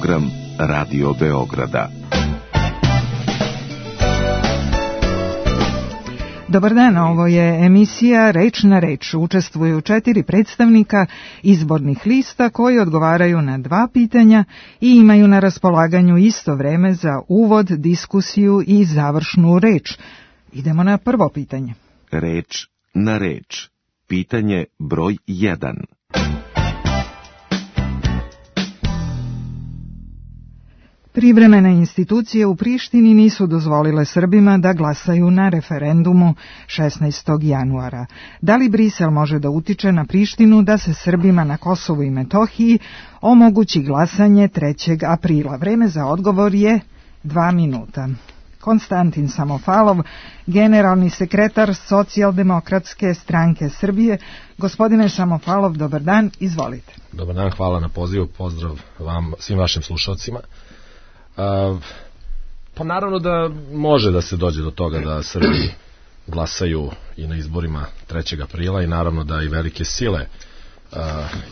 program Radio Beograda. Dobar dan, ovo je emisija Reč na reč. Učestvuju 4 predstavnika izbornih lista koji odgovaraju na 2 pitanja i imaju na raspolaganju isto vreme za uvod, diskusiju i završnu reč. Idemo na prvo pitanje. Reč na reč. Pitanje broj 1. Privremene institucije u Prištini nisu dozvolile Srbima da glasaju na referendumu 16. januara. Da li Brisel može da utiče na Prištinu da se Srbima na Kosovu i Metohiji omogući glasanje 3. aprila? Vreme za odgovor je 2 minuta. Konstantin Samofalov, generalni sekretar Socijaldemokratske stranke Srbije. Gospodine Samofalov, dobar dan, izvolite. Dobar dan, hvala na pozivu, pozdrav vam, svim vašim slušalcima. Pa naravno da može da se dođe do toga da Srbi glasaju i na izborima 3. aprila i naravno da i velike sile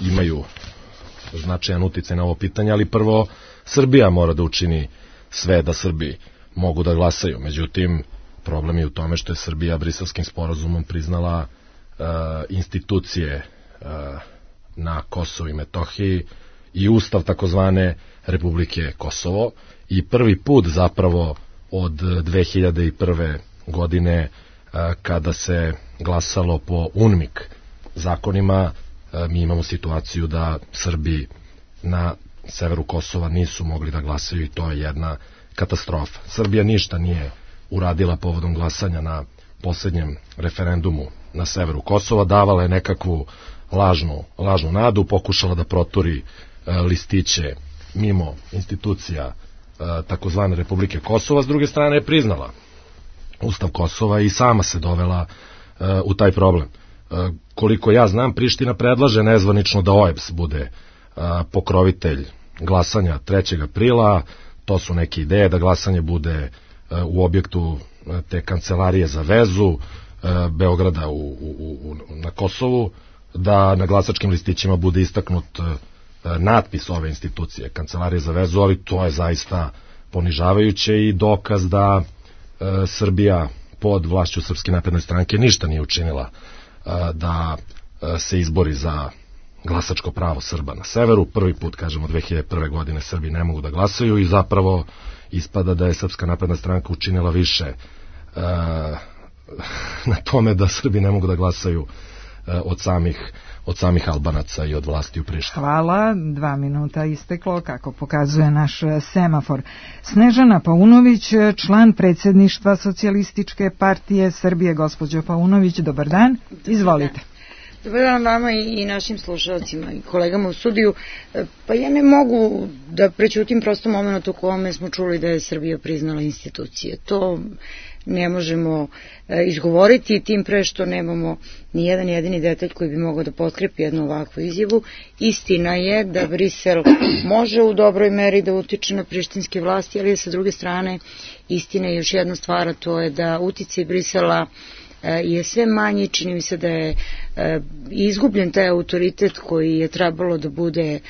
imaju značajan uticaj na ovo pitanje, ali prvo Srbija mora da učini sve da Srbi mogu da glasaju. Međutim, problem je u tome što je Srbija Briselskim sporazumom priznala institucije na Kosovu i Metohiji i ustav takozvane Republike Kosovo i prvi put zapravo od 2001. godine kada se glasalo po UNMIK zakonima, mi imamo situaciju da Srbi na severu Kosova nisu mogli da glasaju i to je jedna katastrofa. Srbija ništa nije uradila povodom glasanja na posljednjem referendumu na severu Kosova, davala je nekakvu lažnu nadu, pokušala da proturi listiće mimo institucija takozvane Republike Kosova, s druge strane je priznala Ustav Kosova i sama se dovela u taj problem. Koliko ja znam, Priština predlaže nezvanično da OEBS bude pokrovitelj glasanja 3. aprila, to su neke ideje da glasanje bude u objektu te kancelarije za vezu Beograda na Kosovu, da na glasačkim listićima bude istaknut natpis ove institucije, kancelarije za vezu, ali to je zaista ponižavajuće i dokaz da Srbija pod vlašću Srpske napredne stranke ništa nije učinila da se izbori za glasačko pravo Srba na severu. Prvi put, kažemo, 2001. godine Srbi ne mogu da glasaju i zapravo ispada da je Srpska napredna stranka učinila više na tome da Srbi ne mogu da glasaju od samih Albanaca i od vlasti u Prištini. Hvala, 2 minuta isteklo, kako pokazuje naš semafor. Snežana Paunović, član predsjedništva Socijalističke partije Srbije. Gospođo Paunović, dobar dan, izvolite. Dobar dan vama i našim slušalcima i kolegama u studiju. Pa ja ne mogu da prećutim prosto moment u kome smo čuli da je Srbija priznala institucije. To ne možemo izgovoriti, tim pre što nemamo ni jedan jedini detalj koji bi mogao da potkrepi jednu ovakvu izjavu. Istina je da Brisel može u dobroj meri da utiče na prištinske vlasti, ali sa druge strane istina je još jedna stvar, a to je da uticaj Brisela je sve manji, čini mi se da je izgubljen taj autoritet koji je trebalo da bude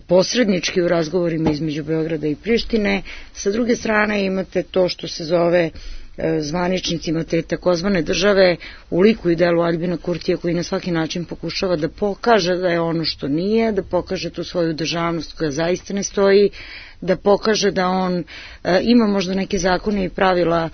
posrednički u razgovorima između Beograda i Prištine. Sa druge strane imate to što se zove zvaničnicima te takozvane države u liku i delu Aljbina Kurtija, koji na svaki način pokušava da pokaže da je ono što nije, da pokaže tu svoju državnost koja zaista ne stoji, da pokaže da on ima možda neke zakone i pravila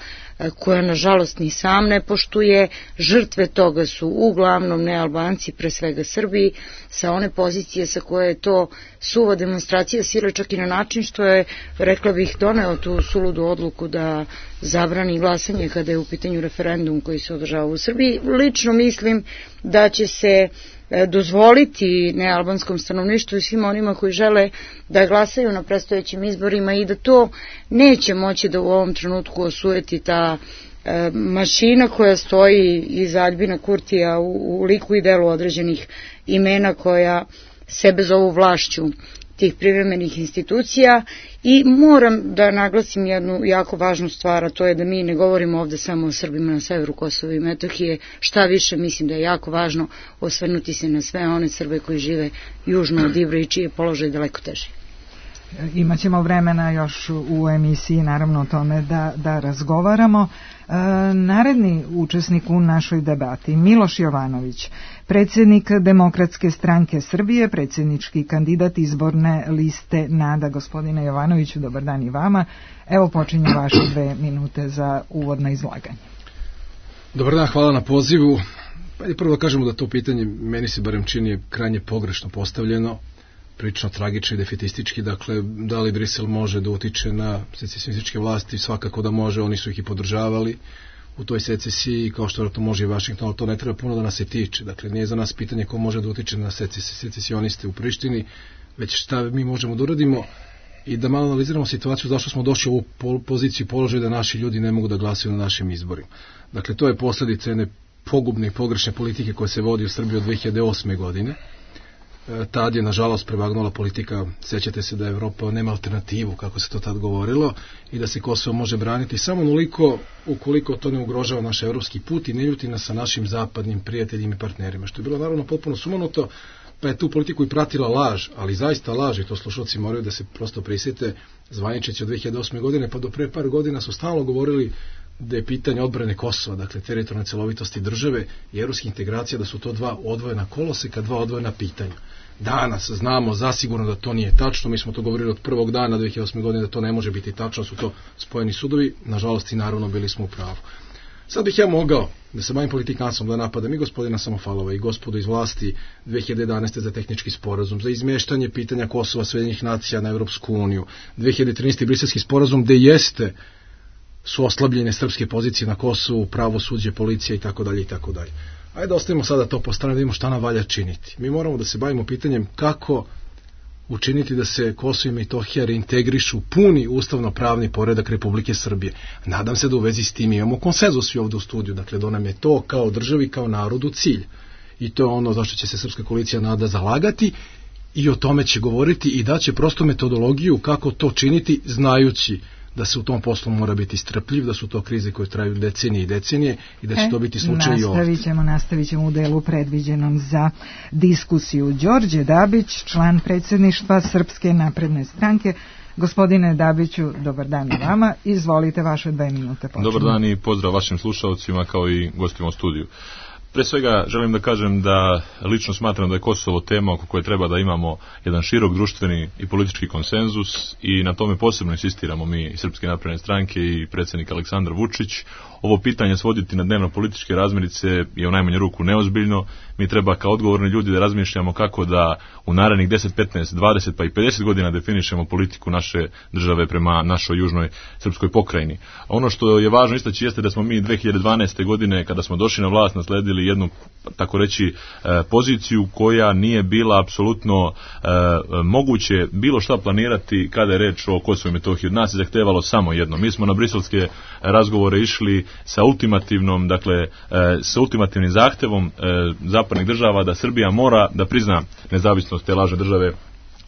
koja nažalost ni sam ne poštuje. Žrtve toga su uglavnom ne Albanci, pre svega Srbi, sa one pozicije sa koje je to suva demonstracija sile, čak i na način što je, rekla bih, doneo tu suludu odluku da zabrani glasanje kada je u pitanju referendum koji se održava u Srbiji. Lično mislim da će se dozvoliti nealbanskom stanovništvu i svima onima koji žele da glasaju na predstojećim izborima i da to neće moći da u ovom trenutku osujeti ta mašina koja stoji iza Aljbina Kurtija u liku i delu određenih imena koja sebe zovu vlašću tih privremenih institucija. I moram da naglasim jednu jako važnu stvar, a to je da mi ne govorimo ovde samo o Srbima na severu Kosova i Metohije. Šta više, mislim da je jako važno osvrnuti se na sve one Srbe koji žive južno od Ibra i čiji je položaj daleko teži. Imaćemo vremena još u emisiji naravno o tome da razgovaramo. Naredni učesnik u našoj debati, Miloš Jovanović, predsjednik Demokratske stranke Srbije, predsjednički kandidat izborne liste NADA. Gospodine Jovanoviću, dobar dan i vama. Evo počinju vaše 2 minute za uvodno izlaganje. Dobar dan, hvala na pozivu. Prvo da kažemo da to pitanje, meni se barem čini, krajnje pogrešno postavljeno, prilično tragično i defetistički. Dakle, da li Brisel može da utiče na secesionističke vlasti? Svakako da može, oni su ih i podržavali u toj secesiji, kao što to može i Vašington, ali to ne treba puno da nas se tiče. Dakle, nije za nas pitanje ko može da utiče na secesioniste u Prištini, već šta mi možemo da uradimo i da malo analiziramo situaciju zašto smo došli u ovu poziciju i položaj da naši ljudi ne mogu da glasaju na našim izborima. Dakle, to je posljedica jedne pogubne i pogrešne politike koja se vodi u Srbiji od 2008. godine. Tad je, nažalost, prevagnula politika, sećate se da Evropa nema alternativu, kako se to tad govorilo, i da se Kosovo može braniti samo onoliko ukoliko to ne ugrožava naš evropski put i ne ljuti nas sa našim zapadnim prijateljima i partnerima, što je bilo naravno potpuno sumanuto, pa je tu politiku i pratila laž, ali zaista laž, i to slušalci moraju da se prosto prisjete, zvaničeći od 2008. godine, pa do pre par godina su stalno govorili da je pitanje odbrane Kosova, dakle teritorijalne celovitosti države i evropske integracije, da su to 2 odvojena koloseka, 2 odvojena pitanja. Danas znamo zasigurno da to nije tačno, mi smo to govorili od prvog dana 2008. godine da to ne može biti tačno, su to spojeni sudovi, nažalost i naravno bili smo u pravu. Sad bih ja mogao da se bavim politikanstvom, da napadam i gospodina Samofalova i gospodu iz vlasti 2011. za tehnički sporazum, za izmeštanje pitanja Kosova Sjedinjenih nacija na Evropsku uniju, 2013. briselski sporazum gde jeste su oslabljene srpske pozicije na Kosovu, pravosuđe, policija i tako dalje i tako dalje. Ajde ostavimo sada to po strani da vidimo šta nam valja činiti. Mi moramo da se bavimo pitanjem kako učiniti da se Kosovo i Metohija reintegrišu puni ustavno-pravni poredak Republike Srbije. Nadam se da u vezi s tim imamo konsenzus i ovde u studiju, dakle da nam je to kao državi, kao narodu cilj. I to je ono zašto će se Srpska koalicija NADA zalagati i o tome će govoriti i daće prosto metodologiju kako to činiti, znajući da se u tom poslu mora biti strpljiv, da su to krize koje traju decenije i decenije i da će to biti slučaj i ovdje. Nastavit ćemo u delu predviđenom za diskusiju. Đorđe Dabić, član predsjedništva Srpske napredne stranke. Gospodine Dabiću, dobar dan i vama. Izvolite, vaše 2 minute. Počinu. Dobar dan i pozdrav vašim slušalcima kao i gostima u studiju. Pre svega želim da kažem da lično smatram da je Kosovo tema oko koje treba da imamo jedan širok društveni i politički konsenzus i na tome posebno insistiramo mi iz Srpske napredne stranke i predsjednik Aleksandar Vučić. Ovo pitanje svoditi na dnevno političke razmirice je u najmanju ruku neozbiljno. Mi treba kao odgovorni ljudi da razmišljamo kako da u narednih 10, 15, 20 pa i 50 godina definišemo politiku naše države prema našoj južnoj srpskoj pokrajini. Ono što je važno istaći jeste da smo mi 2012. godine kada smo došli na vlast nasledili jednu, tako reći, poziciju koja nije bila apsolutno moguće bilo šta planirati kada je reč o Kosovu i Metohiji. Od nas je zahtevalo samo jedno. Mi smo na briselske razgovore išli sa ultimativnom, dakle, sa ultimativnim zahtevom zapadnih država da Srbija mora da prizna nezavisnost te lažne države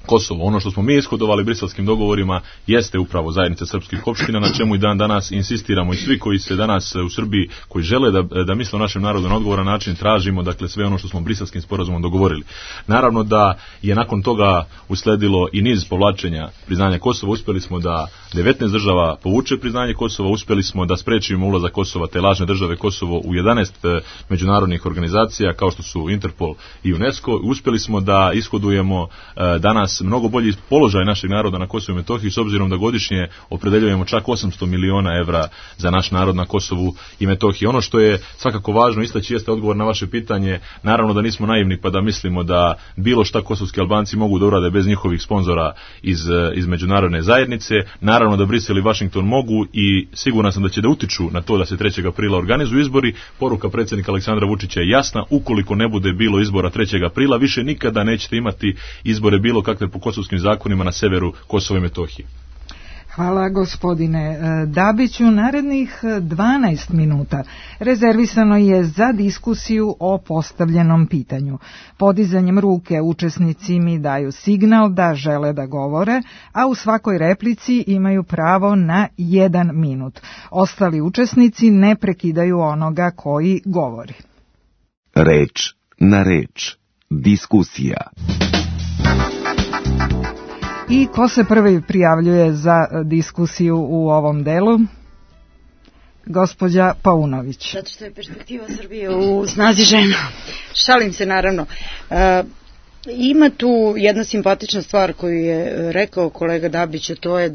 Kosovo. Ono što smo mi ishodovali briselskim dogovorima jeste upravo zajednica srpskih opština, na čemu i dan danas insistiramo i svi koji se danas u Srbiji, koji žele da misle o našem narodu na odgovoran način, tražimo, dakle, sve ono što smo briselskim sporazumom dogovorili. Naravno da je nakon toga usledilo i niz povlačenja priznanja Kosova. Uspjeli smo da 19 država povuče priznanje Kosova, uspjeli smo da sprečimo ulazak Kosova, te lažne države Kosovo, u 11 međunarodnih organizacija kao što su Interpol i UNESCO. Uspjeli smo da ishodujemo danas mnogo bolji položaj našeg naroda na Kosovu i Metohiji, s obzirom da godišnje opredeljujemo čak 800 miliona evra za naš narod na Kosovu i Metohiji. Ono što je svakako važno istaći jeste odgovor na vaše pitanje. Naravno da nismo naivni pa da mislimo da bilo šta kosovski Albanci mogu da urade bez njihovih sponzora iz međunarodne zajednice. Naravno da Brisel i Vašington mogu i siguran sam da će da utiču na to da se 3. aprila organizuju izbori. Poruka predsjednika Aleksandra Vučića je jasna: ukoliko ne bude bilo izbora 3. aprila, više nikada nećete imati izbore bilo kakve po kosovskim zakonima na severu Kosova i Metohije. Hvala gospodine Dabiću. Narednih 12 minuta rezervisano je za diskusiju o postavljenom pitanju. Podizanjem ruke učesnici mi daju signal da žele da govore, a u svakoj replici imaju pravo na 1 minut. Ostali učesnici ne prekidaju onoga koji govori. Reč na reč. Diskusija. I ko se prvi prijavljuje za diskusiju u ovom delu? Gospođa Paunović. Zato što je perspektiva Srbije u snazi žena. Šalim se, naravno. Ima tu jedna simpatična stvar koju je rekao kolega Dabić, a to je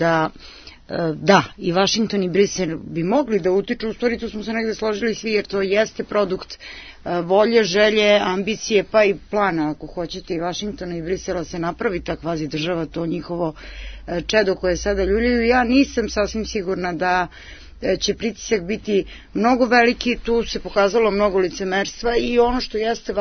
da i Vašington i Brisel bi mogli da utiču, u stvari tu smo se negde složili svi, jer to jeste produkt volje, želje, ambicije, pa i plana, ako hoćete, i Vašingtona i Brisela se napravi ta kvazi država, to njihovo čedo koje sada ljuljaju. Ja nisam sasvim sigurna da će pritisak biti mnogo veliki, tu se pokazalo mnogo licemerstva i ono što jeste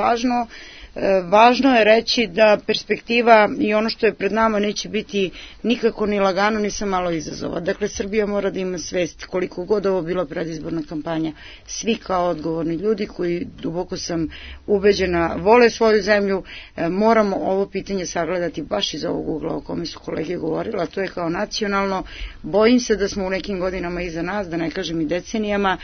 važno je reći da perspektiva i ono što je pred nama neće biti nikako ni lagano, ni sa malo izazova. Dakle, Srbija mora da ima svest, koliko god ovo bila predizborna kampanja, svi kao odgovorni ljudi koji, duboko sam ubeđena, vole svoju zemlju, moramo ovo pitanje sagledati baš iz ovog ugla o kome su kolege govorila, to je kao nacionalno. Bojim se da smo u nekim godinama iza nas, da ne kažem i decenijama,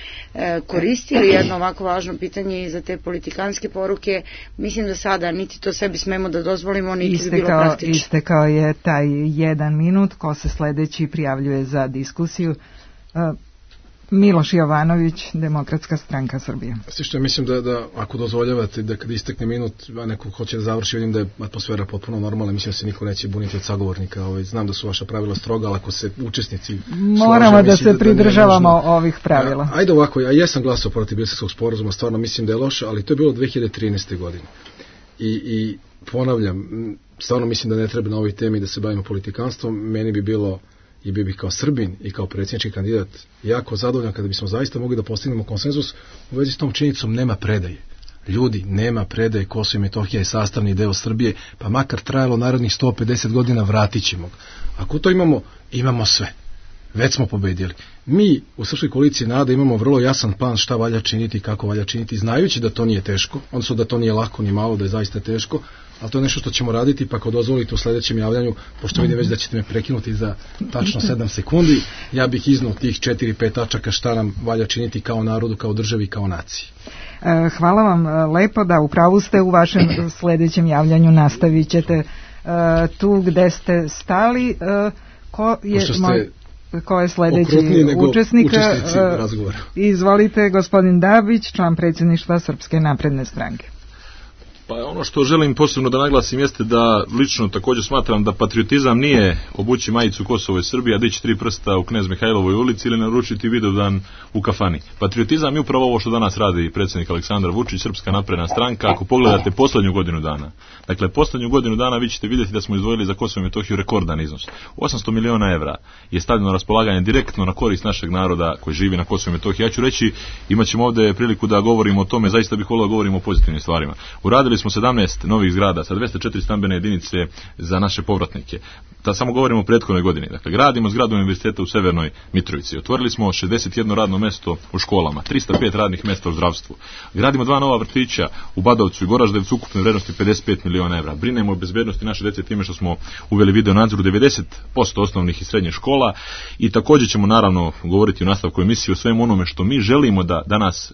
koristili jedno ovako važno pitanje i za te politikanske poruke. Mislim da sada niti to sebi smemo da dozvolimo, niti bi bilo praktično. Istekao je taj 1 minut. Ko se sledeći prijavljuje za diskusiju? Miloš Jovanović, Demokratska stranka Srbije. Sve što mislim da ako dozvoljavate da kad istekne minut, a neko hoće da završi, vidim da je atmosfera potpuno normalna, mislim da se niko neće buniti od sagovornika. Znam da su vaša pravila stroga, ali ako se učesnici moramo da se pridržavamo ovih pravila. Ajde ovako, ja jesam glasao protiv Briselskog sporazuma, stvarno mislim da je loše, ali to je bilo 2013. godine. I ponavljam, stvarno mislim da ne treba na ovoj temi da se bavimo politikanstvom. Meni bi bilo, i bi kao Srbin i kao predsjednički kandidat, jako zadovoljan kada bismo zaista mogli da postignemo konsenzus u vezi s tom činjenicom. Nema predaje. Ljudi, nema predaje, Kosovo i Metohija je sastavni deo Srbije, pa makar trajalo narednih 150 godina, vratit ćemo ga. Ako to imamo sve. Već smo pobedili. Mi u Srpskoj koaliciji NADA imamo vrlo jasan plan šta valja činiti i kako valja činiti, znajući da to nije teško, odnosno da to nije lako ni malo, da je zaista teško, ali to je nešto što ćemo raditi, pa ako dozvolite u sledećem javljanju, pošto vidim već da ćete me prekinuti za tačno 7 sekundi, ja bih iznao tih 4-5 tačaka šta nam valja činiti kao narodu, kao državi, kao naciji. Hvala vam lepo, da upravo ste, u vašem sledećem javljanju nastavit ćete tu gde ste stali. Ko je sledeći učesnik? Izvolite, gospodin Dabić, član predsjedništva Srpske napredne stranke. Pa ono što želim posebno da naglasim jeste da lično također smatram da patriotizam nije obući majicu Kosovo i Srbija, dići 3 prsta u Knez Mihajlovoj ulici ili naručiti Vidovdan u kafani. Patriotizam je upravo ovo što danas radi predsjednik Aleksandar Vučić, Srpska napredna stranka. Ako pogledate poslednju godinu dana, dakle poslednju godinu dana vi ćete vidjeti da smo izdvojili za Kosovo i Metohiju rekordan iznos. 800 miliona evra je stavljeno na raspolaganje direktno na korist našeg naroda koji živi na Kosovo i Metohiji. Ja ću reći, imat ćemo ovde priliku da govorimo o tome, zaista bih volio da govorimo o pozitivnim stvarima. Uradili smo 17 novih zgrada sa 204 stambene jedinice za naše povratnike. Samo govorimo o prethodnoj godini. Dakle, gradimo zgradu univerziteta u Severnoj Mitrovici. Otvorili smo 61 radno mesto u školama, 305 radnih mesta u zdravstvu. Gradimo 2 nova vrtića u Badovcu i Goraždevcu ukupne vrednosti 55 miliona evra. Brinemo o bezbednosti naše dece time što smo uveli video nadzor u 90% osnovnih i srednjih škola i također ćemo naravno govoriti u nastavku emisije o svemu onome što mi želimo da danas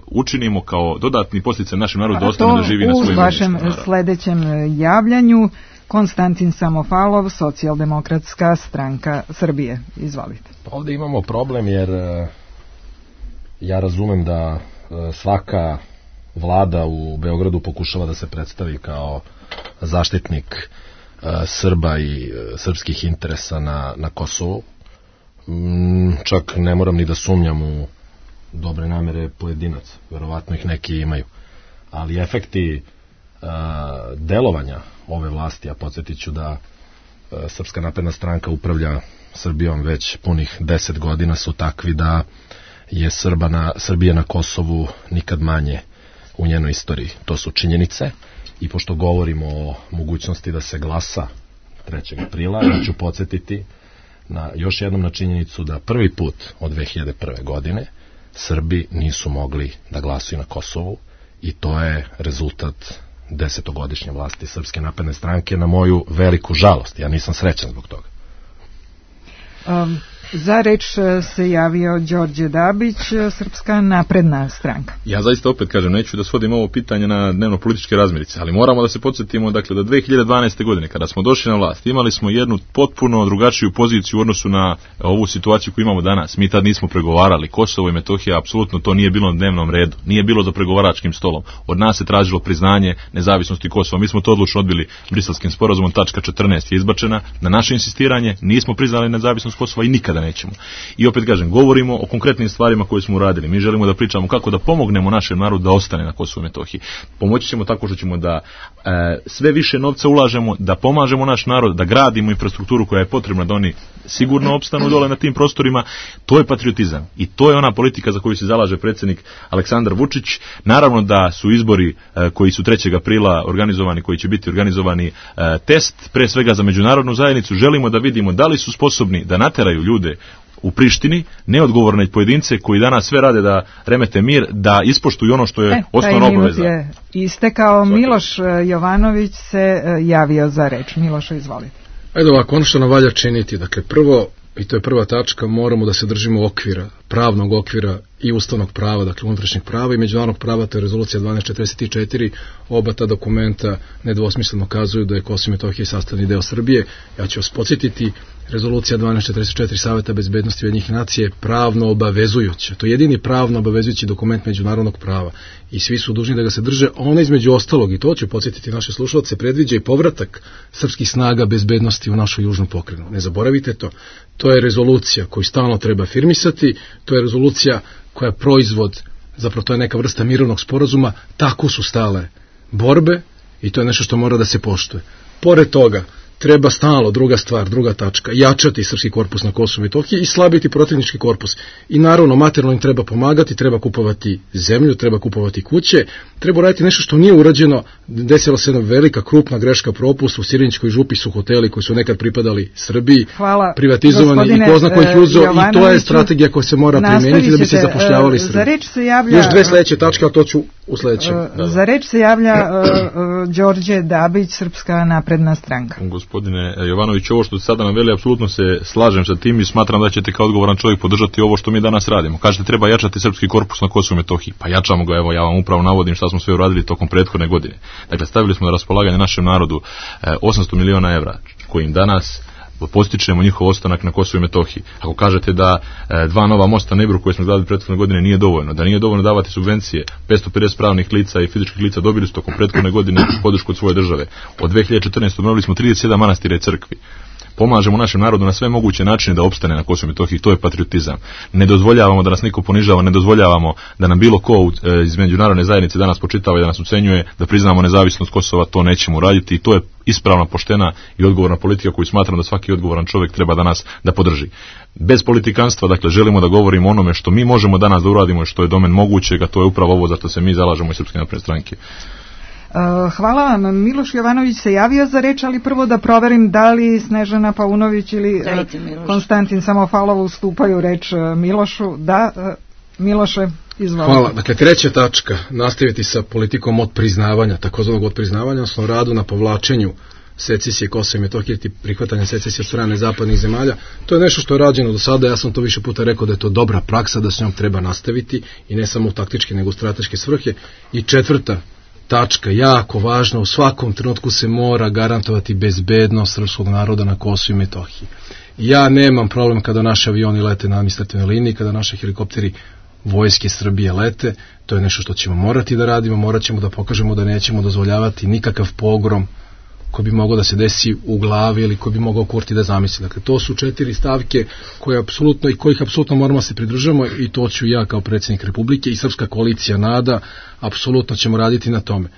učinimo kao dodatni podsticaj našem narodu da ostane da živi na svojim vašem sledećem javljanju. Konstantin Samofalov, Socijaldemokratska stranka Srbije. Izvolite. Pa ovdje imamo problem jer ja razumem da svaka vlada u Beogradu pokušava da se predstavi kao zaštitnik Srba i srpskih interesa na Kosovu. Čak ne moram ni da sumnjam u dobre namere pojedinaca. Verovatno ih neki imaju. Ali efekti delovanja ove vlasti, a podsjetit ću da Srpska napredna stranka upravlja Srbijom već punih 10 godina, su takvi da je Srbija na Kosovu nikad manje u njenoj istoriji. To su činjenice i pošto govorimo o mogućnosti da se glasa 3. aprila, ja ću podsjetiti još jednom na činjenicu da prvi put od 2001. godine Srbi nisu mogli da glasuju na Kosovu i to je rezultat 10-godišnje vlasti Srpske napredne stranke, na moju veliku žalost. Ja nisam srećan zbog toga. Za reč se javio Đorđe Dabić, Srpska napredna stranka. Ja zaista opet kažem, neću da svodim ovo pitanje na dnevno-političke razmirice, ali moramo da se podsjetimo, dakle, da 2012. godine, kada smo došli na vlast, imali smo jednu potpuno drugačiju poziciju u odnosu na ovu situaciju koju imamo danas. Mi tad nismo pregovarali. Kosovo i Metohija, apsolutno to nije bilo na dnevnom redu. Nije bilo za pregovaračkim stolom. Od nas se tražilo priznanje nezavisnosti Kosova. Mi smo to odlučno odbili Briselskim sporazumom, tačka 14 je izbačena. Na naše insistiranje nismo priznali nezavisnost Kosova i nikada nećemo. I opet kažem, govorimo o konkretnim stvarima koje smo uradili. Mi želimo da pričamo kako da pomognemo našem narodu da ostane na Kosovu i Metohiji. Pomoći ćemo tako što ćemo da sve više novca ulažemo, da pomažemo naš narod, da gradimo infrastrukturu koja je potrebna da oni sigurno opstanu dole na tim prostorima. To je patriotizam i to je ona politika za koju se zalaže predsjednik Aleksandar Vučić. Naravno da su izbori koji su 3. aprila organizovani, koji će biti organizovani, test pre svega za međunarodnu zajednicu. Želimo da vidimo da li su sposobni da nateraju ljude u Prištini, neodgovorne pojedince koji danas sve rade da remete mir, da ispoštuju ono što je osnovna obaveza. Je istekao. Miloš Jovanović se javio za reč. Miloš, izvolite. Ajde ovako, ono što nam valja činiti, dakle prvo, i to je prva tačka, moramo da se držimo okvira, pravnog okvira i ustavnog prava, dakle unutrašnjeg prava i međunarodnog prava, to je rezolucija 1244, oba ta dokumenta nedvosmisleno kazuju da je Kosovo i Metohija sastavni deo Srbije. Ja ću vas podsjetiti, rezolucija 1244 Saveta bezbednosti Ujedinjenih nacija je pravno obavezujuća. To je jedini pravno obavezujući dokument međunarodnog prava i svi su dužni da ga se drže. Ona između ostalog, i to ću podsjetiti naše slušalce, predviđa i povratak srpskih snaga bezbednosti u našu južnu pokrajinu. Ne zaboravite to. To je rezolucija koju stalno treba afirmisati, to je rezolucija koja je proizvod, zapravo to je neka vrsta mirovnog sporazuma, tako su stale borbe i to je nešto što mora da se poštuje. Pored toga, treba stalno, druga stvar, druga tačka, jačati srpski korpus na Kosovu i Metohiji i slabiti protivnički korpus. I naravno, materijalno im treba pomagati, treba kupovati zemlju, treba kupovati kuće, treba raditi nešto što nije urađeno. Desila se jedna velika, krupna greška, propust. U Sirinićkoj župi su hoteli koji su nekad pripadali Srbiji, privatizovani i ko zna ko ih uzeo, i to je strategija koja se mora primijeniti da bi se zapošljavali Srbi. Za reč se javlja... Još dve sledeće tačke, a to ću u sledećem. Za reč se javlja Đorđe Dabić, Srpska napredna stranka. Gospodine Jovanović, ovo što ste sada naveli, apsolutno se slažem sa tim i smatram da ćete kao odgovoran čovjek podržati ovo što mi danas radimo. Kažete, treba jačati srpski korpus na Kosovu i Metohiji. Pa jačamo ga, evo ja vam upravo navodim šta smo sve uradili tokom prethodne godine. Dakle, stavili smo na raspolaganje našem narodu 800 miliona evra, kojim danas postičemo njihov ostanak na Kosovu i Metohiji. Ako kažete da 2 nova mosta na Ibru koje smo gradili prethodne godine nije dovoljno, da nije dovoljno davati subvencije, 550 pravnih lica i fizičkih lica dobili su tokom prethodne godine podršku od svoje države. Od 2014. obnovili smo 37 manastira i crkvi. Pomažemo našem narodu na sve moguće načine da opstane na Kosovu i Metohiji, to je patriotizam. Ne dozvoljavamo da nas niko ponižava, ne dozvoljavamo da nam bilo ko iz međunarodne zajednice danas počitava i da nas ucenjuje, da priznamo nezavisnost Kosova, to nećemo raditi i to je ispravna, poštena i odgovorna politika koju smatram da svaki odgovoran čovjek treba danas da podrži. Bez politikanstva, dakle, želimo da govorimo o onome što mi možemo danas da uradimo i što je domen mogućega, to je upravo ovo za što se mi zalažemo iz Srpske napredne stranke. Hvala vam. Miloš Jovanović se javio za reč, ali prvo da proverim da li Snežana Paunović ili Konstantin Samofalov ustupaju reč Milošu. Da, Miloše, izvolite. Hvala. Dakle, treća tačka, nastaviti sa politikom odpriznavanja, takozvanog odpriznavanja, odnosno radu na povlačenju secesije Kosova i Metohije, prihvatanja secesije od strane zapadnih zemalja. To je nešto što je rađeno do sada, ja sam to više puta rekao da je to dobra praksa, da se njom treba nastaviti i ne samo u taktičke nego u strateške svrhe. I četvrta tačka, jako važna, u svakom trenutku se mora garantovati bezbednost srpskog naroda na Kosovu i Metohiji. Ja nemam problem kada naši avioni lete na administrativnoj liniji, kada naši helikopteri vojske Srbije lete, to je nešto što ćemo morati da radimo, morat ćemo da pokažemo da nećemo dozvoljavati nikakav pogrom koji bi mogao da se desi u glavi ili koji bi mogao Kurti da zamisli. Dakle, to su 4 stavke koje apsolutno i kojih apsolutno moramo da se pridržamo i to ću ja kao predsjednik Republike i Srpska koalicija NADA, apsolutno ćemo raditi na tome.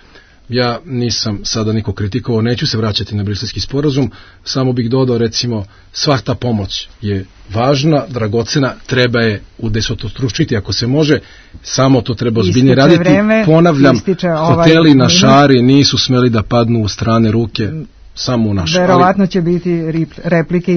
Ja nisam sada niko kritikovao, neću se vraćati na Briselski sporazum, samo bih dodao, recimo, sva ta pomoć je važna, dragocena, treba je udesetostručiti ako se može, samo to treba ozbiljnije raditi. Ponavljam, hoteli na Šari nisu smeli da padnu u strane ruke samo u naš. Verovatno će biti replike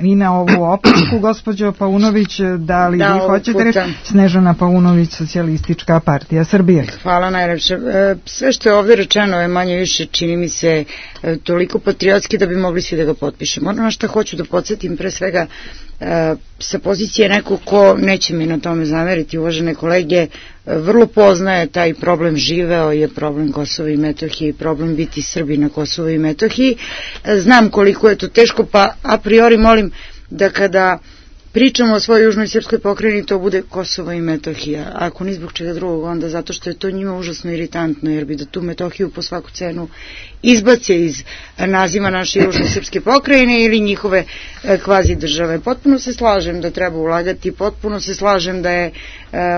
i na ovu opasku, gospođo Paunović, da li vi hoćete reći? Snežana Paunović, Socijalistička partija Srbije. Hvala najlepše. Sve što je ovdje rečeno je manje više, čini mi se, toliko patriotski da bi mogli svi da ga potpišemo. Ono na što hoću da podsjetim, pre svega, sa pozicije nekog ko, neće mi na tome zameriti, uvažene kolege, vrlo poznaje taj problem, živeo je problem Kosova i Metohije i problem biti Srbi na Kosovu i Metohiji. Znam koliko je to teško, pa a priori molim da kada pričamo o svojoj južnoj srpskoj pokrajini, to bude Kosovo i Metohija. Ako ni zbog čega drugog, onda zato što je to njima užasno iritantno, jer bi da tu Metohiju po svaku cenu izbace iz naziva naše južne srpske pokrajine ili njihove kvazi države. Potpuno se slažem da treba ulagati, potpuno se slažem da je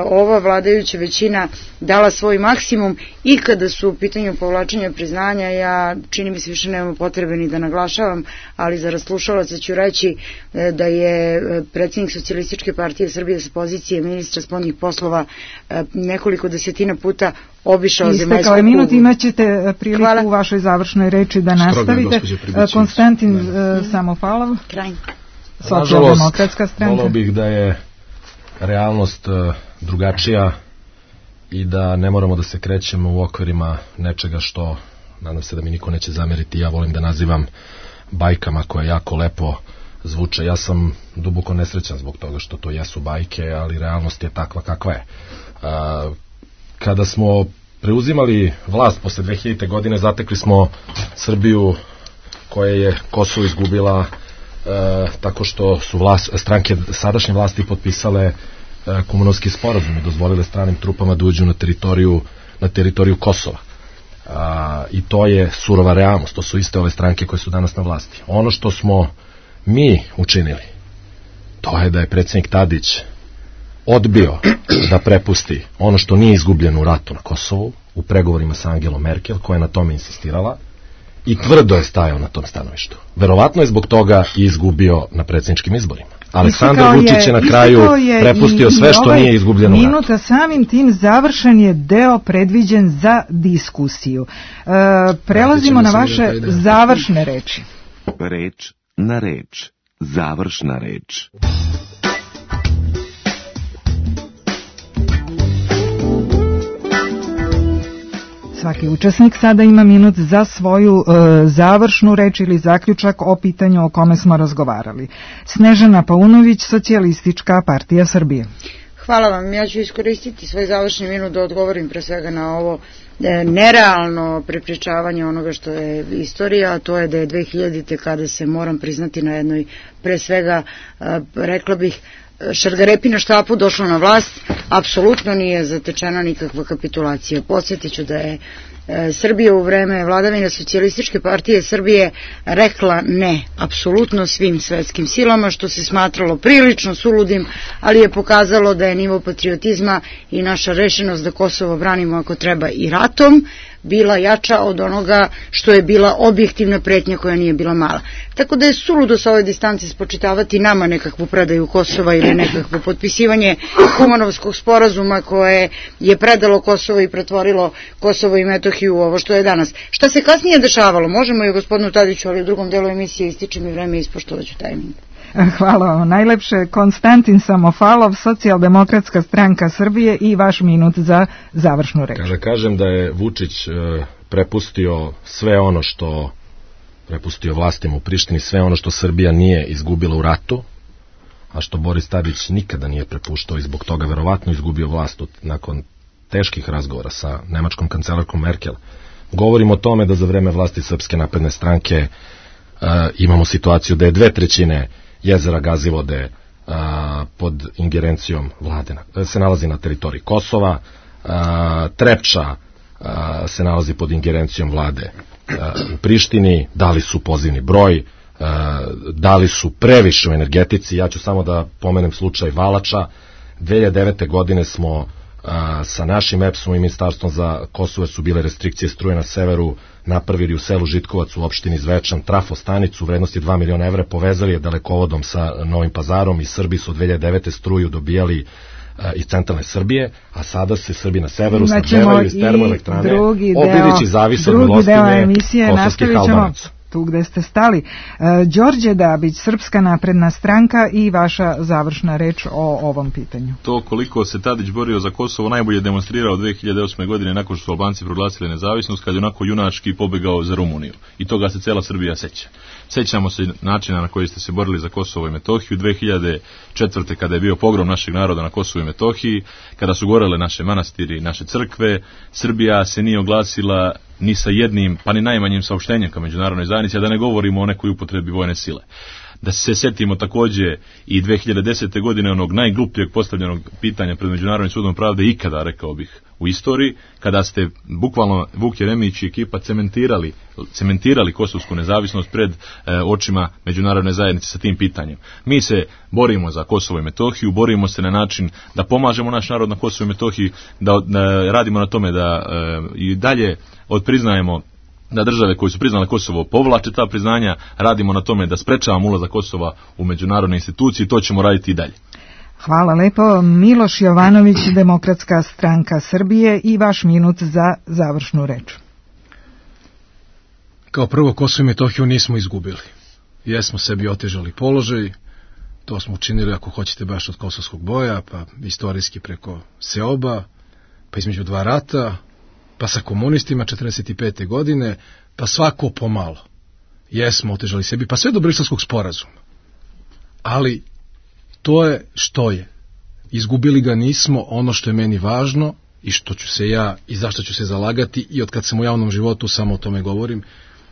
ova vladajuća većina dala svoj maksimum i kada su u pitanju povlačenja priznanja. Ja, čini mi se, više nemamo potrebe ni da naglašavam, ali za raslušalaca ću reći da je predsjednik Socijalističke partije Srbije sa pozicije ministra spoljnih poslova nekoliko desetina puta obišao zemaljsku kuglu. Istekao je minut, imaćete priliku u vašoj završnoj reči da nastavite. Konstantin Samofalov, Socijaldemokratska stranka. Volao bih da je realnost drugačija i da ne moramo da se krećemo u okvirima nečega što, nadam se da mi niko neće zameriti, ja volim da nazivam bajkama koje jako lepo zvuče. Ja sam duboko nesrećan zbog toga što to jesu bajke, ali realnost je takva kakva je. Kada smo preuzimali vlast posle 2000. godine, zatekli smo Srbiju koja je Kosovo izgubila tako što su stranke sadašnje vlasti potpisale Kumanovski sporazum i dozvolile stranim trupama da uđu na teritoriju Kosova. I to je surova realnost, to su iste ove stranke koje su danas na vlasti. Ono što smo mi učinili, to je da je predsjednik Tadić odbio da prepusti ono što nije izgubljeno u ratu na Kosovu u pregovorima sa Angelom Merkel, koja je na tome insistirala, i tvrdo je stajao na tom stanovištu. Verovatno je zbog toga i izgubio na predsjedničkim izborima. Aleksandar Vučić je na kraju prepustio sve što nije izgubljeno u ratu. Minuta samim tim završen je deo predviđen za diskusiju. Prelazimo na vaše završne reči. Reč na reč. Završna reč. Svaki učesnik sada ima minut za svoju završnu reč ili zaključak o pitanju o kome smo razgovarali. Snežana Paunović, Socijalistička partija Srbije. Hvala vam. Ja ću iskoristiti svoj završni minut da odgovorim pre svega na ovo nerealno prepričavanje onoga što je istorija, a to je da je 2000. kada se, moram priznati, na jednoj, pre svega, rekla bih, šargarepi na štapu došla na vlast, apsolutno nije zatečena nikakva kapitulacija. Podsjetit ću da je Srbija u vreme vladavine Socijalističke partije Srbije rekla ne apsolutno svim svetskim silama, što se smatralo prilično suludim, ali je pokazalo da je nivo patriotizma i naša rešenost da Kosovo branimo ako treba i ratom bila jača od onoga što je bila objektivna pretnja koja nije bila mala. Tako da je suludo sa ove distance spočitavati nama nekakvu predaju Kosova ili nekakvo potpisivanje Kumanovskog sporazuma koje je predalo Kosovo i pretvorilo Kosovo i Metohiju u ovo što je danas. Šta se kasnije dešavalo? Možemo i gospodinu Tadiću, ali u drugom delu emisije ističe mi vreme i ispoštovaću tajming. Hvala vam najlepše. Konstantin Samofalov, Socijaldemokratska stranka Srbije, i vaš minut za završnu reč. Kada kažem da je Vučić prepustio sve ono što prepustio vlastima u Prištini, sve ono što Srbija nije izgubila u ratu, a što Boris Tadić nikada nije prepuštao i zbog toga verovatno izgubio vlast nakon teških razgovora sa nemačkom kancelarkom Merkel. Govorimo o tome da za vreme vlasti Srpske napredne stranke imamo situaciju da je 2/3 jezera Gazivode pod ingerencijom vlade, se nalazi na teritoriji Kosova, Trepča se nalazi pod ingerencijom vlade u Prištini, dali su pozivni broj, dali su previše u energetici. Ja ću samo da pomenem slučaj Valača. 2009. godine smo sa našim EPS-om i Ministarstvom za Kosovo, su bile restrikcije struje na severu, napravili u selu Žitkovac u opštini Zvečan trafostanicu u vrednosti 2 miliona evra, povezali je dalekovodom sa Novim Pazarom i Srbi su od 2009. struju dobijali iz centralne Srbije, a sada se Srbi na severu snabdevaju iz termoelektrane, Obilići zavise od milostinje kosovskih Albanaca. tu gde ste stali. Đorđe Dabić, Srpska napredna stranka i vaša završna reč o ovom pitanju. To koliko se Tadić borio za Kosovo najbolje demonstrirao 2008. godine nakon što su Albanci proglasili nezavisnost, kad je onako junački pobegao za Rumuniju. I toga se cela Srbija seća. Sećamo se načina na koji ste se borili za Kosovo i Metohiju 2004. kada je bio pogrom našeg naroda na Kosovu i Metohiji, kada su gorele naše manastiri, naše crkve. Srbija se nije oglasila ni sa jednim, pa ni najmanjim saopštenjem ka međunarodnoj zajednici, a da ne govorimo o nekoj upotrebi vojne sile. Da se setimo takođe i 2010. godine onog najglupljeg postavljenog pitanja pred Međunarodnim sudom pravde ikada, rekao bih, u istoriji, kada ste bukvalno Vuk Jeremić i ekipa cementirali kosovsku nezavisnost pred očima međunarodne zajednice sa tim pitanjem. Mi se borimo za Kosovo i Metohiju, borimo se na način da pomažemo naš narod na Kosovo i Metohiji, da radimo na tome da i dalje odpriznajemo da države koje su priznale Kosovo povlače ta priznanja, radimo na tome da sprečavamo ulazak Kosova u međunarodne institucije i to ćemo raditi i dalje. Hvala lepo. Miloš Jovanović, Demokratska stranka Srbije i vaš minut za završnu reč. Kao prvo, Kosovo i Metohiju nismo izgubili. Jesmo sebi otežali položaj, to smo učinili ako hoćete baš od kosovskog boja, pa istorijski preko Seoba, pa između dva rata, pa sa komunistima 45. godine, pa svako pomalo. Jesmo otežali sebi, pa sve do Briselskog sporazuma. Ali to je što je. Izgubili ga nismo. Ono što je meni važno i što ću se ja i zašto ću se zalagati i od kad sam u javnom životu samo o tome govorim,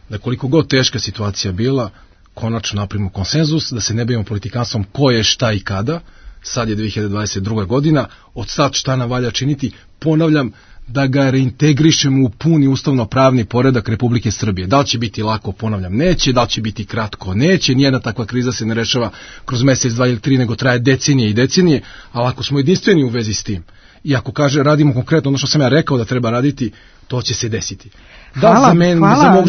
da koliko god teška situacija bila, konačno napravimo konsenzus, da se ne bavimo politikanstvom ko je šta i kada. Sad je 2022. godina, od sad šta nam valja činiti, ponavljam, da ga reintegrišemo u puni ustavno-pravni poredak Republike Srbije. Da li će biti lako, ponavljam, neće, da li će biti kratko, neće, nijedna takva kriza se ne rešava kroz mesec, 2 ili 3, nego traje decenije i decenije, ali ako smo jedinstveni u vezi s tim, i ako radimo konkretno ono što sam ja rekao da treba raditi, to će se desiti. Da za mene, za mog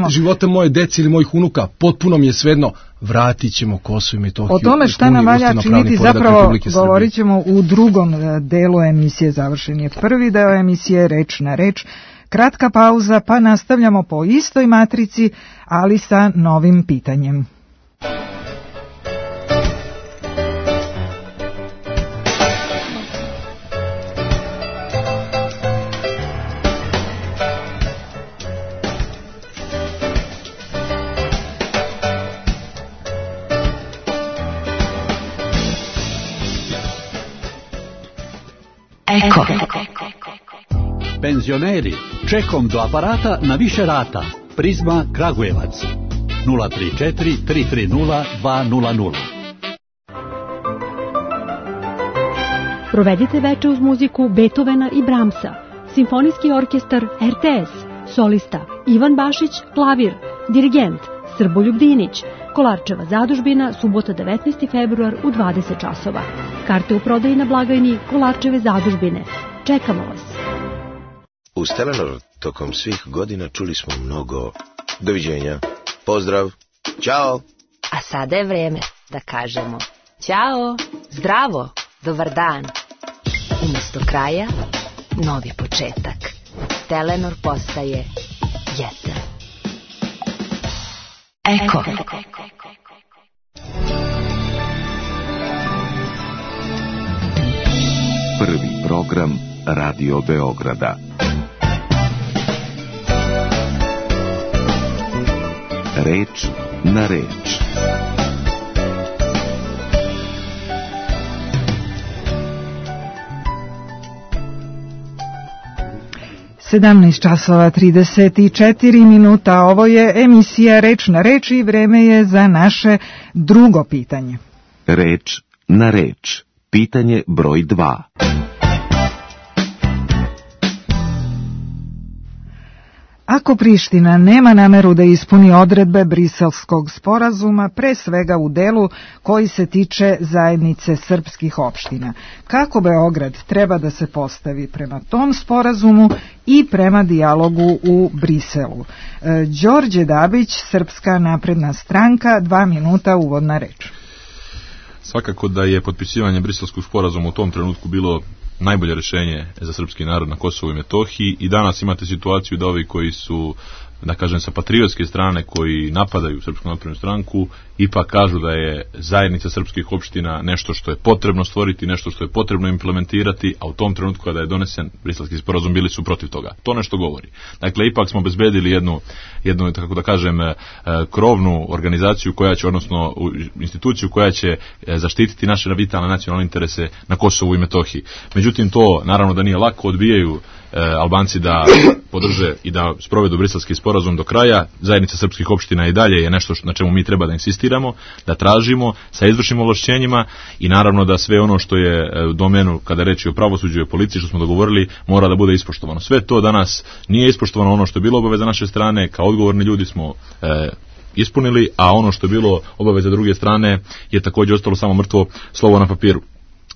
života moje dece ili mojih unuka, potpuno mi je svejedno, vratit ćemo Kosovo i Metohiju. O tome šta nam valja činiti zapravo govorit ćemo u drugom delu emisije. Završen je prvi deo emisije Reč na reč. Kratka pauza pa nastavljamo po istoj matrici, ali sa novim pitanjem. Eko. Penzioneri, čekom do aparata na više rata. Prizma Kragujevac 034 330 200. Provedite veče uz muziku Beethovena i Brahmsa. Simfonijski orkestar RTS. Solista Ivan Bašić, klavir. Dirigent Srboljub Dinić. Kolarčeva zadužbina, subota 19. februar u 20 časova. Karte u prodaji na blagajni Kolarčeve zadužbine. Čekamo vas. U Telenor tokom svih godina čuli smo mnogo doviđenja, pozdrav, ćao. A sada je vreme da kažemo ćao, zdravo, dobar dan. Umesto kraja, novi početak. Telenor postaje jesen. Eko. Prvi program Radio Beograda. Reč na reč. 17:34. Ovo je emisija Reč na reč i vreme je za naše drugo pitanje. Reč na reč. Pitanje broj 2. Ako Priština nema nameru da ispuni odredbe Briselskog sporazuma, pre svega u delu koji se tiče zajednice srpskih opština, kako Beograd treba da se postavi prema tom sporazumu i prema dijalogu u Briselu? Đorđe Dabić, Srpska napredna stranka, 2 minuta uvodna reč. Svakako da je potpisivanje Briselskog sporazuma u tom trenutku bilo najbolje rešenje za srpski narod na Kosovu i Metohiji i danas imate situaciju da ovi koji su da kažem, sa patriotske strane koji napadaju Srpsku naprednu stranku, ipak kažu da je zajednica srpskih opština nešto što je potrebno stvoriti, nešto što je potrebno implementirati, a u tom trenutku kada je donesen Briselski sporazum bili su protiv toga. To nešto govori. Dakle, ipak smo obezbedili jednu tako da kažem, krovnu organizaciju koja će, odnosno instituciju koja će zaštititi naše vitalne nacionalne interese na Kosovu i Metohiji. Međutim, to naravno da nije lako, odbijaju Albanci da podrže i da sprovedu Briselski sporazum do kraja. Zajednica srpskih opština i dalje je nešto na čemu mi treba da insistiramo, da tražimo sa izvršnim ovlašćenjima i naravno da sve ono što je u domenu kada reči o pravosuđu i o policiji što smo dogovorili mora da bude ispoštovano. Sve to danas nije ispoštovano, ono što je bilo obaveza naše strane, kao odgovorni ljudi smo ispunili, a ono što je bilo obaveza druge strane je također ostalo samo mrtvo slovo na papiru.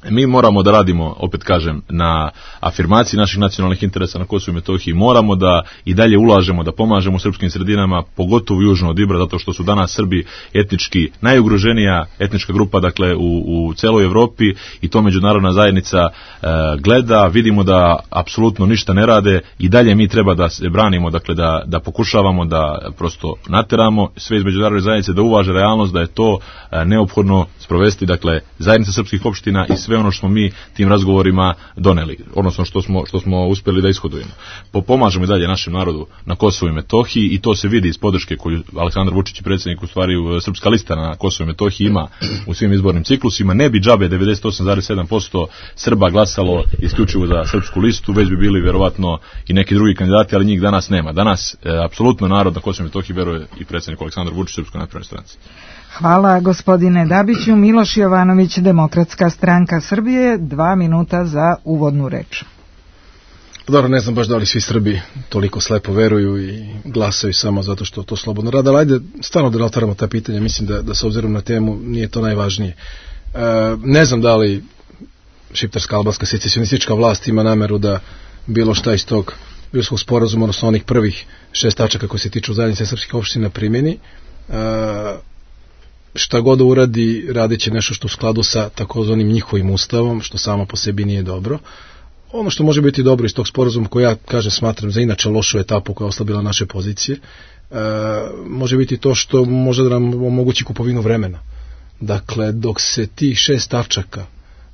Mi moramo da radimo, opet kažem, na afirmaciji naših nacionalnih interesa na Kosovu i Metohiji. Moramo da i dalje ulažemo, da pomažemo srpskim sredinama, pogotovo južno od Ibra, zato što su danas Srbi etnički najugroženija etnička grupa, dakle, u celoj Evropi i to međunarodna zajednica gleda. Vidimo da apsolutno ništa ne rade i dalje mi treba da se branimo, dakle, da pokušavamo da prosto nateramo sve iz međunarodne zajednice da uvaže realnost, da je to neophodno sprovesti, dakle, zajednica srpskih opština i sve ono što smo mi tim razgovorima doneli, odnosno što smo uspjeli da ishodujemo. Pomažemo i dalje našem narodu na Kosovu i Metohiji i to se vidi iz podrške koju Aleksandar Vučić, predsjednik, u stvari Srpska lista na Kosovu i Metohiji ima u svim izbornim ciklusima. Ne bi džabe 98,7% Srba glasalo isključivo za Srpsku listu, već bi bili vjerovatno i neki drugi kandidati, ali njih danas nema. Danas apsolutno narod na Kosovu i Metohiji veruje i predsjednik Aleksandar Vučić Srpskoj naprednoj stranci. Hvala gospodine Dabiću. Miloš Jovanović, Demokratska stranka Srbije, 2 minuta za uvodnu reč. Dobro, ne znam baš da li svi Srbi toliko slepo veruju i glasaju samo zato što to slobodno rade, ali ajde stvarno da otvaramo ta pitanja, mislim da s obzirom na temu nije to najvažnije. Ne znam da li šiptarska albanska secesionistička vlast ima nameru da bilo šta iz tog Briselskog sporazuma, odnosno onih prvih 6 tačaka koji se tiču zajednice srpskih opština primjeni. Šta god da uradi, radit će nešto što u skladu sa takozvanim njihovim ustavom, što samo po sebi nije dobro. Ono što može biti dobro iz tog sporazuma, koji ja smatram za inače lošu etapu koja je oslabila naše pozicije, može biti to što može da nam omogući kupovinu vremena. Dakle, dok se tih 6 tačaka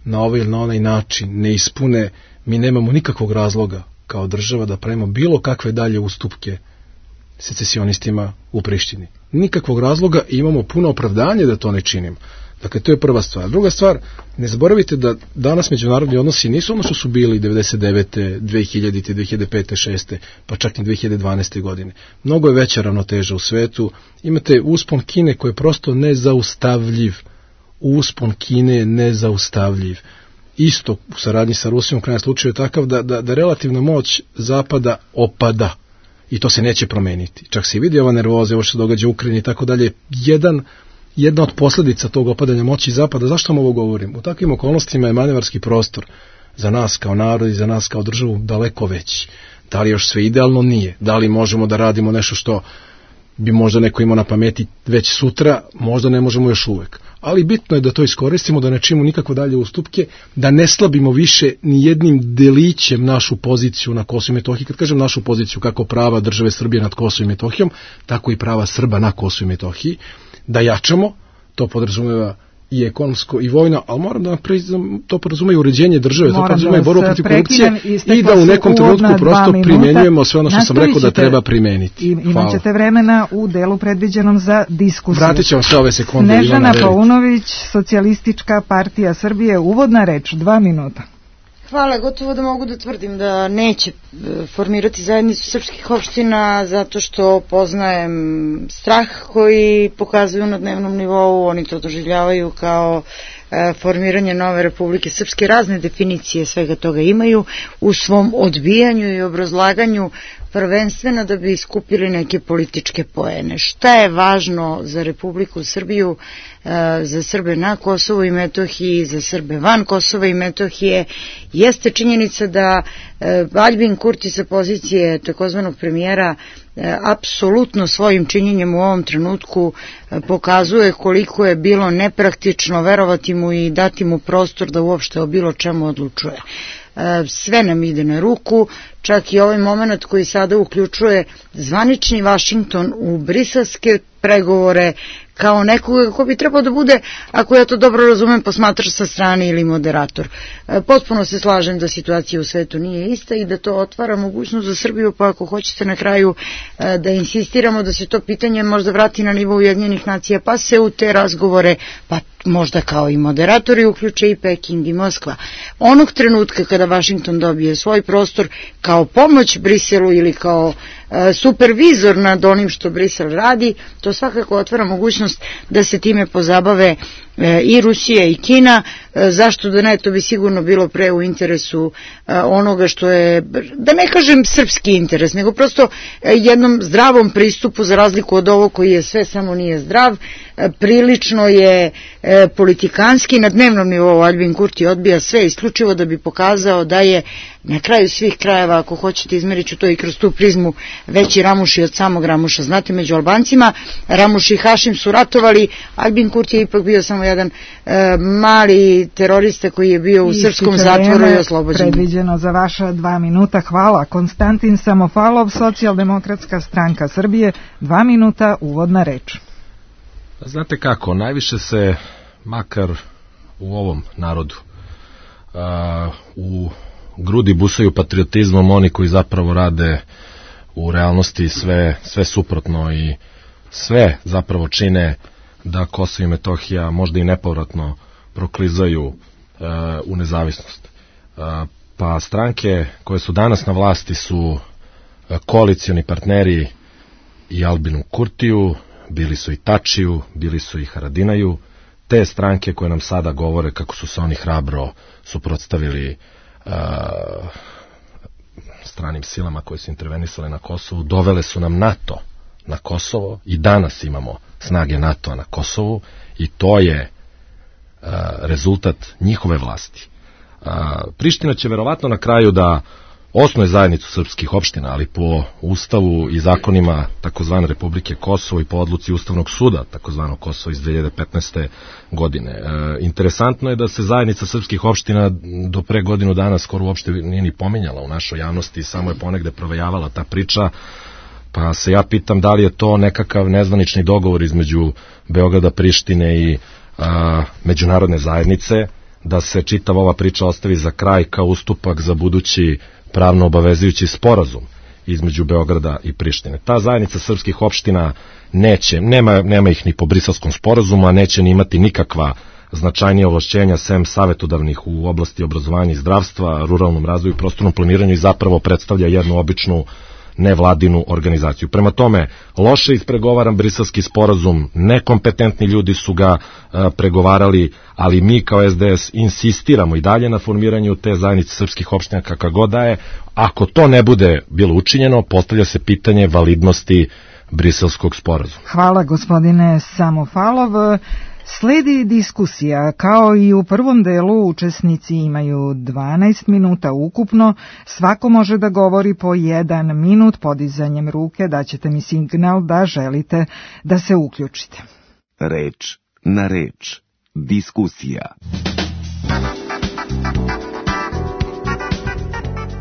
na ovaj ili na onaj način ne ispune, mi nemamo nikakvog razloga kao država da pravimo bilo kakve dalje ustupke secesionistima u Prištini. Nikakvog razloga i imamo puno opravdanje da to ne činimo. Dakle, to je prva stvar. Druga stvar, ne zaboravite da danas međunarodni odnosi nisu ono što su bili 99. 2000. 2005. 2006. pa čak i 2012. godine. Mnogo je veća ravnoteža u svetu. Imate uspon Kine koji je prosto nezaustavljiv. Uspon Kine je nezaustavljiv. Isto u saradnji sa Rusijom u krajnjem slučaju je takav da relativna moć Zapada opada. I to se neće promeniti. Čak se i vidi ova nervoza, ovo što se događa u Ukrajini i tako dalje. Jedna od posljedica tog opadanja moći Zapada, zašto vam ovo govorim? U takvim okolnostima je manevarski prostor za nas kao narod i za nas kao državu daleko veći. Da li još sve idealno? Nije. Da li možemo da radimo nešto što bi možda neko imao na pameti već sutra? Možda ne možemo još uvek. Ali bitno je da to iskoristimo, da ne činimo nikako dalje ustupke, da ne slabimo više ni jednim delićem našu poziciju na Kosovu i Metohiji. Kad kažem našu poziciju, kako prava države Srbije nad Kosovom i Metohijom, tako i prava Srba na Kosovu i Metohiji, da jačamo, to podrazumeva i ekonomsko i vojno, ali moram da to podrazumeva i uređenje države, to podrazumeva i borbu protiv korupcije i da u nekom trenutku prosto primenjujemo sve ono što sam rekao da treba primeniti. Imat ćete vremena u delu predviđenom za diskusiju. Vratit ćemo sve ove sekunde. Snežana Paunović, Socijalistička partija Srbije, uvodna reč, 2 minuta. Hvala, gotovo da mogu da tvrdim da neće formirati zajednicu srpskih opština zato što poznajem strah koji pokazuju na dnevnom nivou, oni to doživljavaju kao formiranje nove Republike Srpske, razne definicije svega toga imaju u svom odbijanju i obrazlaganju, prvenstveno da bi skupili neke političke poene. Šta je važno za Republiku Srbiju, za Srbe na Kosovu i Metohiji, za Srbe van Kosova i Metohije, jeste činjenica da Aljbin Kurti sa pozicije takozvanog premijera apsolutno svojim činjenjem u ovom trenutku pokazuje koliko je bilo nepraktično verovati mu i dati mu prostor da uopšte o bilo čemu odlučuje. sve nam ide na ruku, čak i ovaj moment koji sada uključuje zvanični Vašington u briselske pregovore kao nekoga ko bi trebao da bude, ako ja to dobro razumem, posmatrač sa strane ili moderator. Potpuno se slažem da situacija u svetu nije ista i da to otvara mogućnost za Srbiju, pa ako hoćete na kraju da insistiramo da se to pitanje možda vrati na nivou Ujedinjenih nacija, pa se u te razgovore, pa možda kao i moderatori uključe i Peking i Moskva. Onog trenutka kada Vašington dobije svoj prostor kao pomoć Briselu ili kao supervizor nad onim što Brisel radi, to svakako otvara mogućnost da se time pozabave i Rusija i Kina. Zašto da ne, to bi sigurno bilo pre u interesu onoga što je, da ne kažem srpski interes, nego prosto jednom zdravom pristupu, za razliku od ovo koji je sve samo nije zdrav. Prilično je politikanski, na dnevnom nivou Aljbin Kurti odbija sve isključivo da bi pokazao da je na kraju svih krajeva, ako hoćete izmerit ću to i kroz tu prizmu, veći Ramuši od samog Ramuša. Znate, među Albancima Ramuš i Hašim su ratovali, Aljbin Kurti je ipak bio samo jedan mali terorista koji je bio u srpskom zatvoru i oslobođen. Predviđeno za vaša 2 minuta. Hvala. Konstantin Samofalov, Socijaldemokratska stranka Srbije, 2 minuta, uvodna reč. Znate kako, najviše se, makar u ovom narodu, u grudi busaju patriotizmom oni koji zapravo rade u realnosti sve suprotno i sve zapravo čine da Kosovo i Metohija možda i nepovratno proklizaju u nezavisnost. Pa stranke koje su danas na vlasti su koalicioni partneri i Aljbinu Kurtiju, bili su i Tačiju, bili su i Haradinaju, te stranke koje nam sada govore kako su se oni hrabro suprotstavili stranim silama koje su intervenisale na Kosovu, dovele su nam NATO na Kosovo i danas imamo snage NATO-a na Kosovu i to je rezultat njihove vlasti. Priština će verovatno na kraju da osnuje zajednicu srpskih opština, ali po ustavu i zakonima takozvane Republike Kosovo i po odluci Ustavnog suda takozvanog Kosova iz 2015. godine. Interesantno je da se zajednica srpskih opština do pre godinu dana skoro uopšte nije ni pominjala u našoj javnosti, samo je ponegde provejavala ta priča, pa se ja pitam da li je to nekakav nezvanični dogovor između Beograda, Prištine i međunarodne zajednice, da se čitava ova priča ostavi za kraj kao ustupak za budući pravno obavezujući sporazum između Beograda i Prištine. Ta zajednica srpskih opština nema ih ni po Briselskom sporazumu, a neće ni imati nikakva značajnija ovlašćenja sem savetodavnih u oblasti obrazovanja i zdravstva, ruralnom razvoju i prostornom planiranju i zapravo predstavlja jednu običnu nevladinu organizaciju. Prema tome, loše ispregovaran Briselski sporazum, nekompetentni ljudi su ga pregovarali, ali mi kao SDS insistiramo i dalje na formiranju te zajednice srpskih opština kakva god da je. Ako to ne bude bilo učinjeno, postavlja se pitanje validnosti Briselskog sporazuma. Hvala gospodine Samofalov. Sledi diskusija. Kao i u prvom delu, učesnici imaju 12 minuta ukupno. Svako može da govori po 1 minut podizanjem ruke. Daćete mi signal da želite da se uključite. Reč na reč. Diskusija.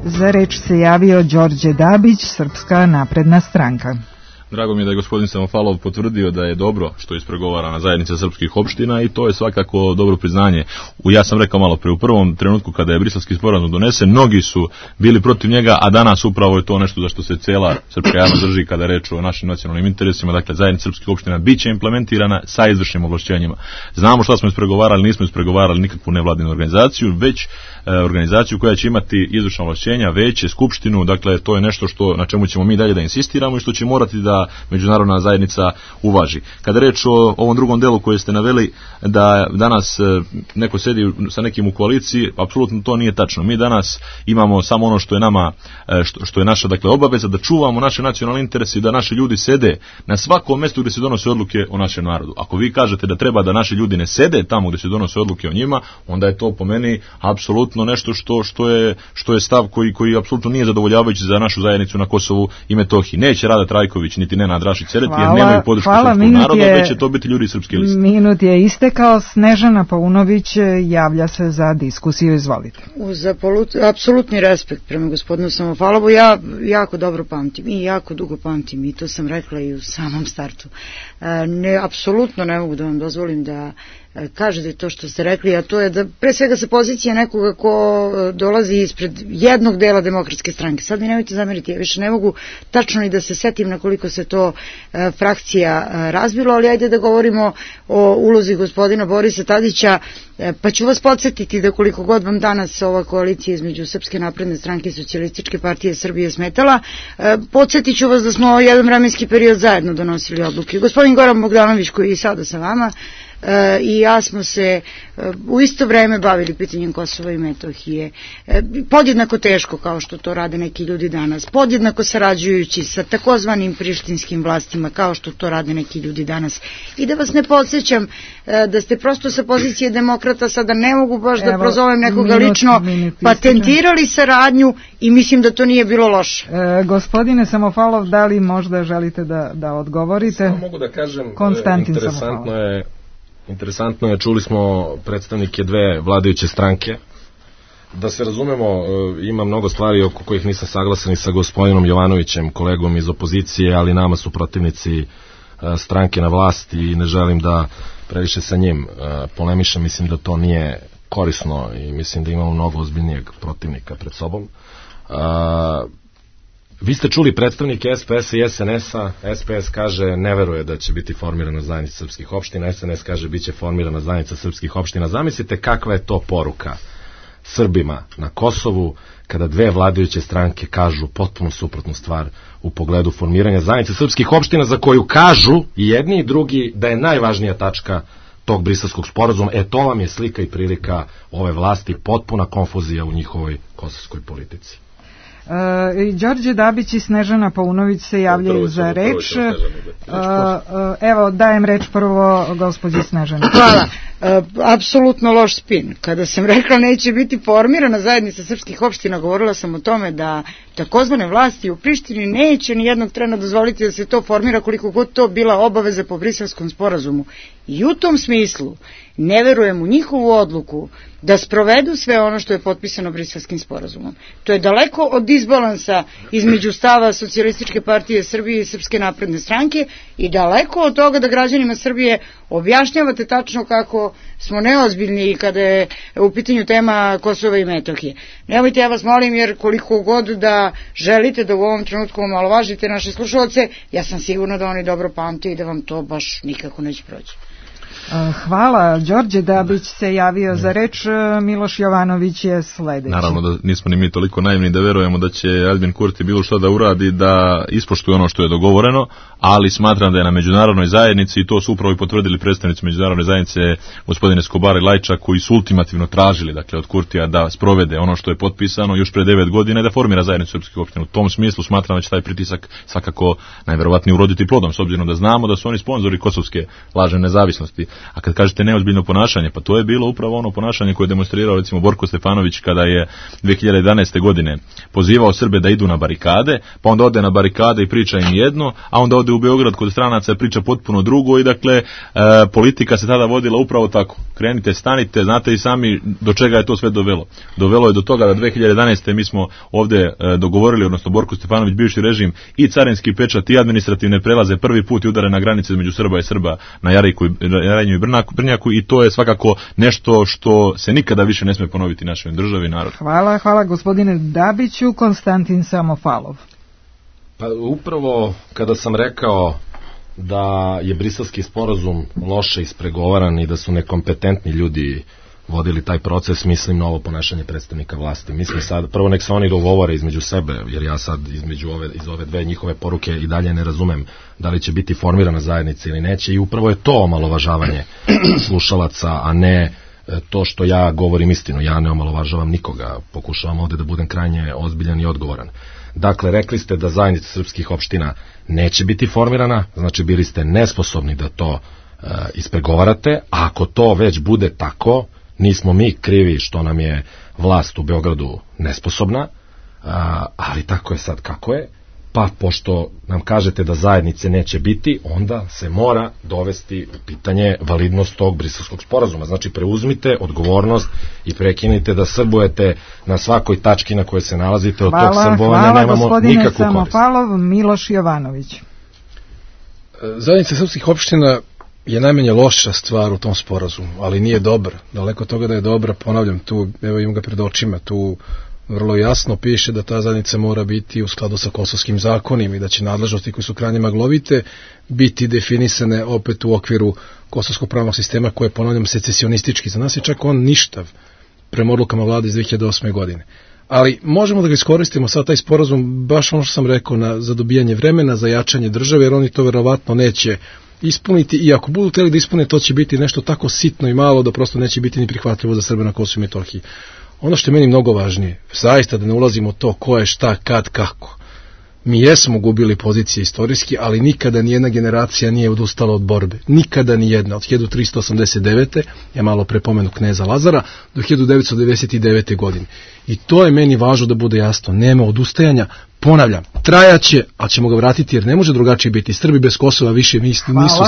Za reč se javio Đorđe Dabić, Srpska napredna stranka. Drago mi je da je gospodin Samofalov potvrdio da je dobro što je ispregovarana zajednica srpskih opština i to je svakako dobro priznanje. Ja sam rekao malo pre, u prvom trenutku kada je Briselski sporazum donesen, mnogi su bili protiv njega, a danas upravo je to nešto za što se cela srpska javnost drži kada je reč o našim nacionalnim interesima. Dakle, zajednica srpskih opština biće implementirana sa izvršnim ovlašćenjima. Znamo šta smo ispregovarali, nismo ispregovarali nikakvu nevladinu organizaciju, već organizaciju koja će imati izvršna ovlašćenja, veće, skupštinu. Dakle, to je nešto na čemu ćemo mi dalje da insistiramo i što će morati da međunarodna zajednica uvaži. Kada reč o ovom drugom delu koje ste naveli, da danas neko sedi sa nekim u koaliciji, apsolutno to nije tačno. Mi danas imamo samo ono što je nama, što je naša, dakle, obaveza, da čuvamo naše nacionalne interese i da naši ljudi sede na svakom mestu gdje se donose odluke o našem narodu. Ako vi kažete da treba da naši ljudi ne sede tamo gdje se donose odluke o njima, onda je to po meni apsolutno nešto što je stav koji apsolutno nije zadovoljavajući za našu zajednicu na Kosovu i Metohiji. Neće Rada Trajković, niti biti Nenad Rašić Sereti, jer nemaju podršku srpskog naroda, već će to biti ljudi srpske liste. Minut je istekao. Snežana Paunović javlja se za diskusiju, izvolite. Uz apsolutni respekt prema gospodinu Samofalovu, ja jako dobro pamtim i jako dugo pamtim, i to sam rekla i u samom startu. Apsolutno ne mogu da vam dozvolim da kažete to što ste rekli, a to je da pre svega sa pozicije nekoga ko dolazi ispred jednog dela Demokratske stranke. Sad mi nemojte zameriti, ja više ne mogu tačno ni da se setim na koliko se to frakcija razbilo, ali ajde da govorimo o ulozi gospodina Borisa Tadića, pa ću vas podsjetiti da koliko god vam danas ova koalicija između Srpske napredne stranke i Socijalističke partije Srbije smetala, podsjetit ću vas da smo jedan vremenski period zajedno donosili odluke. Gospodin Goran Bogdanović, koji je i sada sa vama, i ja smo se u isto vreme bavili pitanjem Kosova i Metohije, podjednako teško kao što to rade neki ljudi danas, podjednako sarađujući sa takozvanim prištinskim vlastima kao što to rade neki ljudi danas. I da vas ne podsjećam da ste prosto sa pozicije demokrata, sada ne mogu baš da prozovem nekoga lično, patentirali saradnju i mislim da to nije bilo loše. Gospodine Samofalov, da li možda želite da odgovorite? Samo mogu da kažem, Konstantin interesantno je, čuli smo predstavnike dve vladajuće stranke. Da se razumemo, ima mnogo stvari oko kojih nisam saglasan i sa gospodinom Jovanovićem, kolegom iz opozicije, ali nama su protivnici stranke na vlasti i ne želim da previše sa njim polemišem. Mislim da to nije korisno i mislim da imamo mnogo ozbiljnijeg protivnika pred sobom. Vi ste čuli predstavnike SPS-a i SNS-a. SPS kaže ne veruje da će biti formirana zajednica srpskih opština, SNS kaže bit će formirana zajednica srpskih opština. Zamislite kakva je to poruka Srbima na Kosovu kada dve vladajuće stranke kažu potpuno suprotnu stvar u pogledu formiranja zajednice srpskih opština, za koju kažu i jedni i drugi da je najvažnija tačka tog Briselskog sporazuma. To vam je slika i prilika ove vlasti, potpuna konfuzija u njihovoj kosovskoj politici. Đorđe Dabić i Snežana Paunović se javljaju za reč. Evo, dajem reč prvo gospođi Snežani. Hvala. Apsolutno loš spin. Kada sam rekla neće biti formirana zajednica srpskih opština, govorila sam o tome da takozvane vlasti u Prištini neće ni jednog trena dozvoliti da se to formira, koliko god to bila obaveza po Briselskom sporazumu. I u tom smislu ne verujem u njihovu odluku da sprovedu sve ono što je potpisano Briselskim sporazumom. To je daleko od disbalansa između stava Socijalističke partije Srbije i Srpske napredne stranke i daleko od toga da građanima Srbije objašnjavate tačno kako smo neozbiljni kada je u pitanju tema Kosova i Metohije. Nemojte, ja vas molim, jer koliko god da želite da u ovom trenutku omalovažite naše slušalce, ja sam sigurna da oni dobro pamte i da vam to baš nikako neće proći. Hvala. Đorđe Dabić se javio za reč, Miloš Jovanović je sledeći. Naravno da nismo ni mi toliko naivni da verujemo da će Aljbin Kurti bilo što da uradi da ispoštuje ono što je dogovoreno, ali smatram da je na međunarodnoj zajednici, i to su upravo i potvrdili predstavnici međunarodne zajednice gospodine Escobar i Lajčak, koji su ultimativno tražili, dakle, od Kurtija da sprovede ono što je potpisano još pre 9 godina i da formira zajednicu srpskih opština. U tom smislu smatram da će taj pritisak svakako najverovatnije uroditi plodom, s obzirom da znamo da su oni sponzori kosovske lažne nezavisnosti. A kad kažete neozbiljno ponašanje, pa to je bilo upravo ono ponašanje koje je demonstrirao recimo Borko Stefanović kada je 2011. godine pozivao Srbe da idu na barikade, pa onda ode na barikade i priča im jedno, a onda ode u Beograd kod stranaca priča potpuno drugo i dakle politika se tada vodila upravo tako. Krenite, stanite, znate i sami do čega je to sve dovelo. Dovelo je do toga da 2011. mi smo ovde dogovorili, odnosno Borko Stefanović, bivši režim, i carinski pečat i administrativne prelaze prvi put i udare na granice između Srba i Srba na Jarinju i Brnjaku, i to je svakako nešto što se nikada više ne sme ponoviti našoj državi i narodu. Hvala gospodine Dabiću. Konstantin Samofalov. Pa upravo kada sam rekao da je Briselski sporazum loše ispregovaran i da su nekompetentni ljudi vodili taj proces, mislim na ovo ponašanje predstavnika vlasti. Mislim sad, prvo nek se oni dogovore između sebe, jer ja sad iz ove dve njihove poruke i dalje ne razumem da li će biti formirana zajednica ili neće, i upravo je to omalovažavanje slušalaca, a ne to što ja govorim istinu. Ja ne omalovažavam nikoga, pokušavam ovde da budem krajnje ozbiljan i odgovoran. Dakle, rekli ste da zajednica srpskih opština neće biti formirana, znači bili ste nesposobni da to ispregovarate, a ako to već bude tako, nismo mi krivi što nam je vlast u Beogradu nesposobna, ali tako je sad kako je. pa pošto nam kažete da zajednice neće biti, onda se mora dovesti u pitanje validnost tog Briselskog sporazuma. Znači, preuzmite odgovornost i prekinite da srbujete na svakoj tački na kojoj se nalazite. Od tog srbovanja nemamo nikakvu korist. Hvala, Samofalov. Miloš Jovanović. Zajednica srpskih opština je najmanje loša stvar u tom sporazumu, ali nije dobra. Daleko od toga da je dobra, ponavljam, tu, evo imam ga pred očima, tu vrlo jasno piše da ta zajednica mora biti u skladu sa kosovskim zakonima i da će nadležnosti koje su krajnje maglovite biti definisane opet u okviru kosovskog pravnog sistema koje je, ponavljam, secesionistički. Za nas je čak on ništav prema odlukama vlade iz 2008. godine. Ali možemo da ga iskoristimo sad taj sporazum, baš ono što sam rekao, za dobijanje vremena, za jačanje države, jer oni to verovatno neće ispuniti, i ako budu hteli da ispune, to će biti nešto tako sitno i malo da prosto neće biti ni prihvatljivo za Srbe na Kosovu i Metohiji. Ono što je meni mnogo važnije, zaista da ne ulazimo u to ko je šta, kad, kako. Mi jesmo gubili pozicije istorijski, ali nikada nijedna generacija nije odustala od borbe. Nikada nijedna. Od 1389. ja malo prepomenu kneza Lazara do 1999. godine. I to je meni važno da bude jasno. Nema odustajanja. Ponavljam, trajaće, a ćemo ga vratiti jer ne može drugačije biti. Srbi bez Kosova više nisu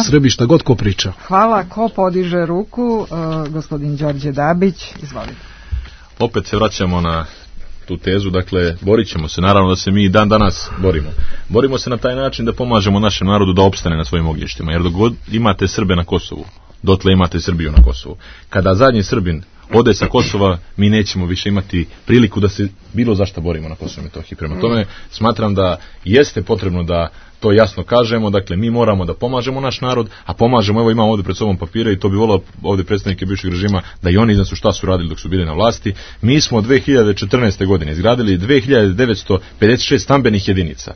Srbi, šta god ko priča. Hvala. Ko podiže ruku? Gospodin Đorđe Dabić, izvolite. Opet se vraćamo na tu tezu, dakle, borit ćemo se, naravno da se mi dan danas borimo. Borimo se na taj način da pomažemo našem narodu da opstane na svojim ognjištima, jer dok god imate Srbe na Kosovu, dotle imate Srbiju na Kosovu. Kada zadnji Srbin ode sa Kosova, mi nećemo više imati priliku da se bilo zašta borimo na Kosovu i Metohiji. Prema tome, smatram da jeste potrebno da to jasno kažemo, dakle, mi moramo da pomažemo naš narod, a pomažemo, evo imamo ovdje pred sobom papire i to bi volao ovdje predstavnike bivšeg režima da i oni iznesu šta su radili dok su bili na vlasti. Mi smo 2014. godine izgradili 2956 stambenih jedinica.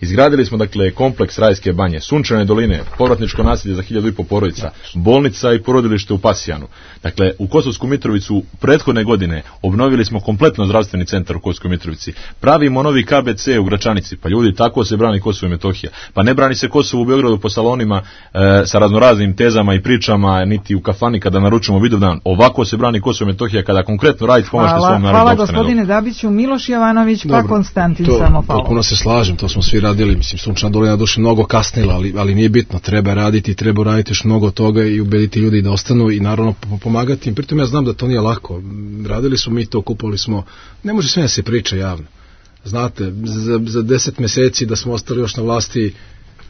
Izgradili smo, dakle, kompleks Rajske banje, Sunčane doline, povratničko naselje za 1500 porodica, bolnica i porodilište u Pasijanu. Dakle, u Kosovsku Mitrovicu prethodne godine obnovili smo kompletno zdravstveni centar u Kosovskoj Mitrovici. Pravimo novi KBC u Gračanici, pa ljudi, tako se brani Kosovo i Metohija. Pa ne brani se Kosovo u Beogradu po salonima sa raznoraznim tezama i pričama, niti u kafani kada naručimo Vidovdan. Ovako se brani Kosovo i Metohija kada konkretno radite, pomažete svom narodu. Hvala gospodine Dabiću. Miloš Jovanović, pa Konstantin Samofalov. Potpuno se slažem, to smo svi radili, mislim, Sunčana dolina duše mnogo kasnila, ali nije bitno, treba raditi još mnogo toga i ubediti ljudi da ostanu i naravno pomagati im. Pritom ja znam da to nije lako, radili smo mi to, kupovali smo, ne može sve da se priča javno. Znate, za 10 meseci da smo ostali još na vlasti,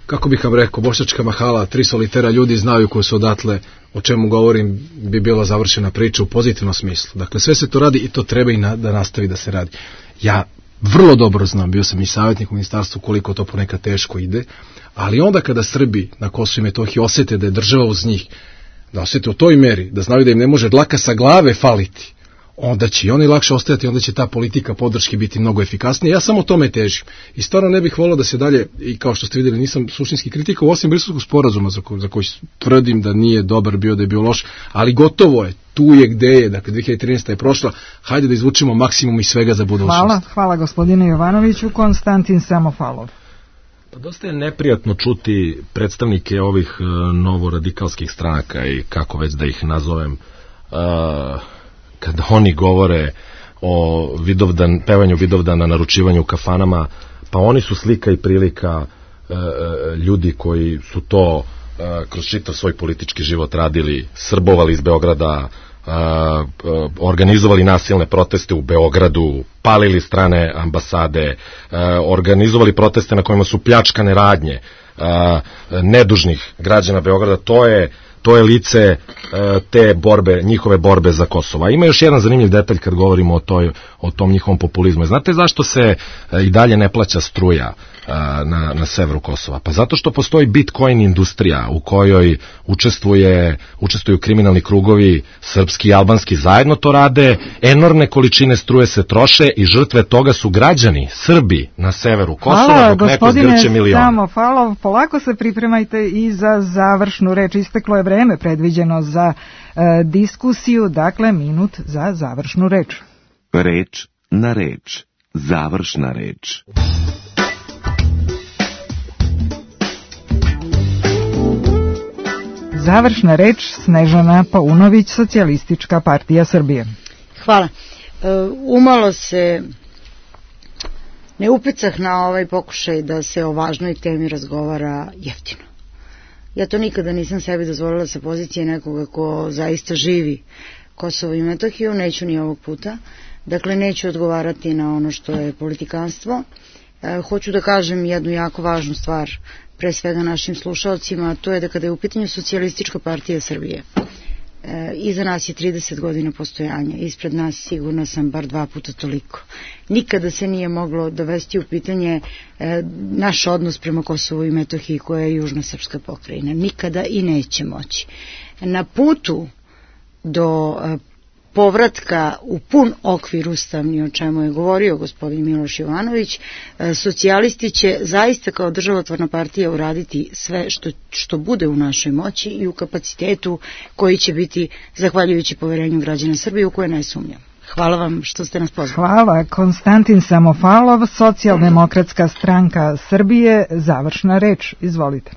kako bih vam rekao, bošnjačka mahala, 3 solitera ljudi znaju koji su odatle, o čemu govorim, bi bila završena priča u pozitivnom smislu. Dakle, sve se to radi i to treba i da nastavi da se radi. Ja vrlo dobro znam, bio sam i savjetnik u ministarstvu, koliko to ponekad teško ide, ali onda kada Srbi na Kosovu i Metohiji osjete da je država uz njih, da osjete u toj meri, da znaju da im ne može dlaka sa glave faliti, onda će i oni lakše ostajati, onda će ta politika podrške biti mnogo efikasnija. Ja samo tome težim. I stvarno ne bih volio da se dalje, i kao što ste vidjeli, nisam suštinski kritikao, osim Briselskog sporazuma za koji tvrdim da nije dobar bio, da je bio loš, ali gotovo je, tu je gde je, dakle 2013. je prošla, hajde da izvučemo maksimum iz svega za budućnost. Hvala gospodine Jovanoviću. Konstantin Samofalov. Pa dosta je neprijatno čuti predstavnike ovih novoradikalskih stranaka i kako već da ih nazovem, kada oni govore o pevanju Vidovdana, naručivanju u kafanama, pa oni su slika i prilika ljudi koji su to kroz čitav svoj politički život radili, srbovali iz Beograda, organizovali nasilne proteste u Beogradu, palili strane ambasade, organizovali proteste na kojima su pljačkane radnje nedužnih građana Beograda. To je lice te borbe, njihove borbe za Kosovo. Ima još jedan zanimljiv detalj kad govorimo o tom njihovom populizmu. Znate zašto se i dalje ne plaća struja na severu Kosova? Pa zato što postoji Bitcoin industrija u kojoj učestvuju kriminalni krugovi, srpski i albanski zajedno to rade, enormne količine struje se troše i žrtve toga su građani, Srbi na severu Kosova, dok neko zgrče miliona. Hvala, gospodine Samofalov, polako se pripremajte i za završnu reč. Isteklo je vreme predviđeno za diskusiju, dakle minut za završnu reč. Reč na reč, završna reč. Završna reč Snežana Paunović, Socijalistička partija Srbije. Hvala. Umalo se ne upecah na ovaj pokušaj da se o važnoj temi razgovara jeftino. Ja to nikada nisam sebi dozvolila sa pozicije nekoga ko zaista živi Kosovo i Metohiju, neću ni ovog puta. Dakle, neću odgovarati na ono što je politikanstvo. Hoću da kažem jednu jako važnu stvar, pre svega našim slušalcima, a to je da kada je u pitanju Socijalistička partija Srbije, iza nas je 30 godina postojanja, ispred nas sigurno sam bar 2 puta toliko. Nikada se nije moglo dovesti u pitanje naš odnos prema Kosovu i Metohiji koja je južna srpska pokrajina. Nikada i neće moći. Na putu do povratka u pun okvir ustavni, o čemu je govorio gospodin Miloš Jovanović, socijalisti će zaista kao državotvorna partija uraditi sve što bude u našoj moći i u kapacitetu koji će biti zahvaljujući poverenju građana Srbije u koje ne sumnjam. Hvala vam što ste nas pozvali. Hvala. Konstantin Samofalov, Socijaldemokratska stranka Srbije, završna reč. Izvolite.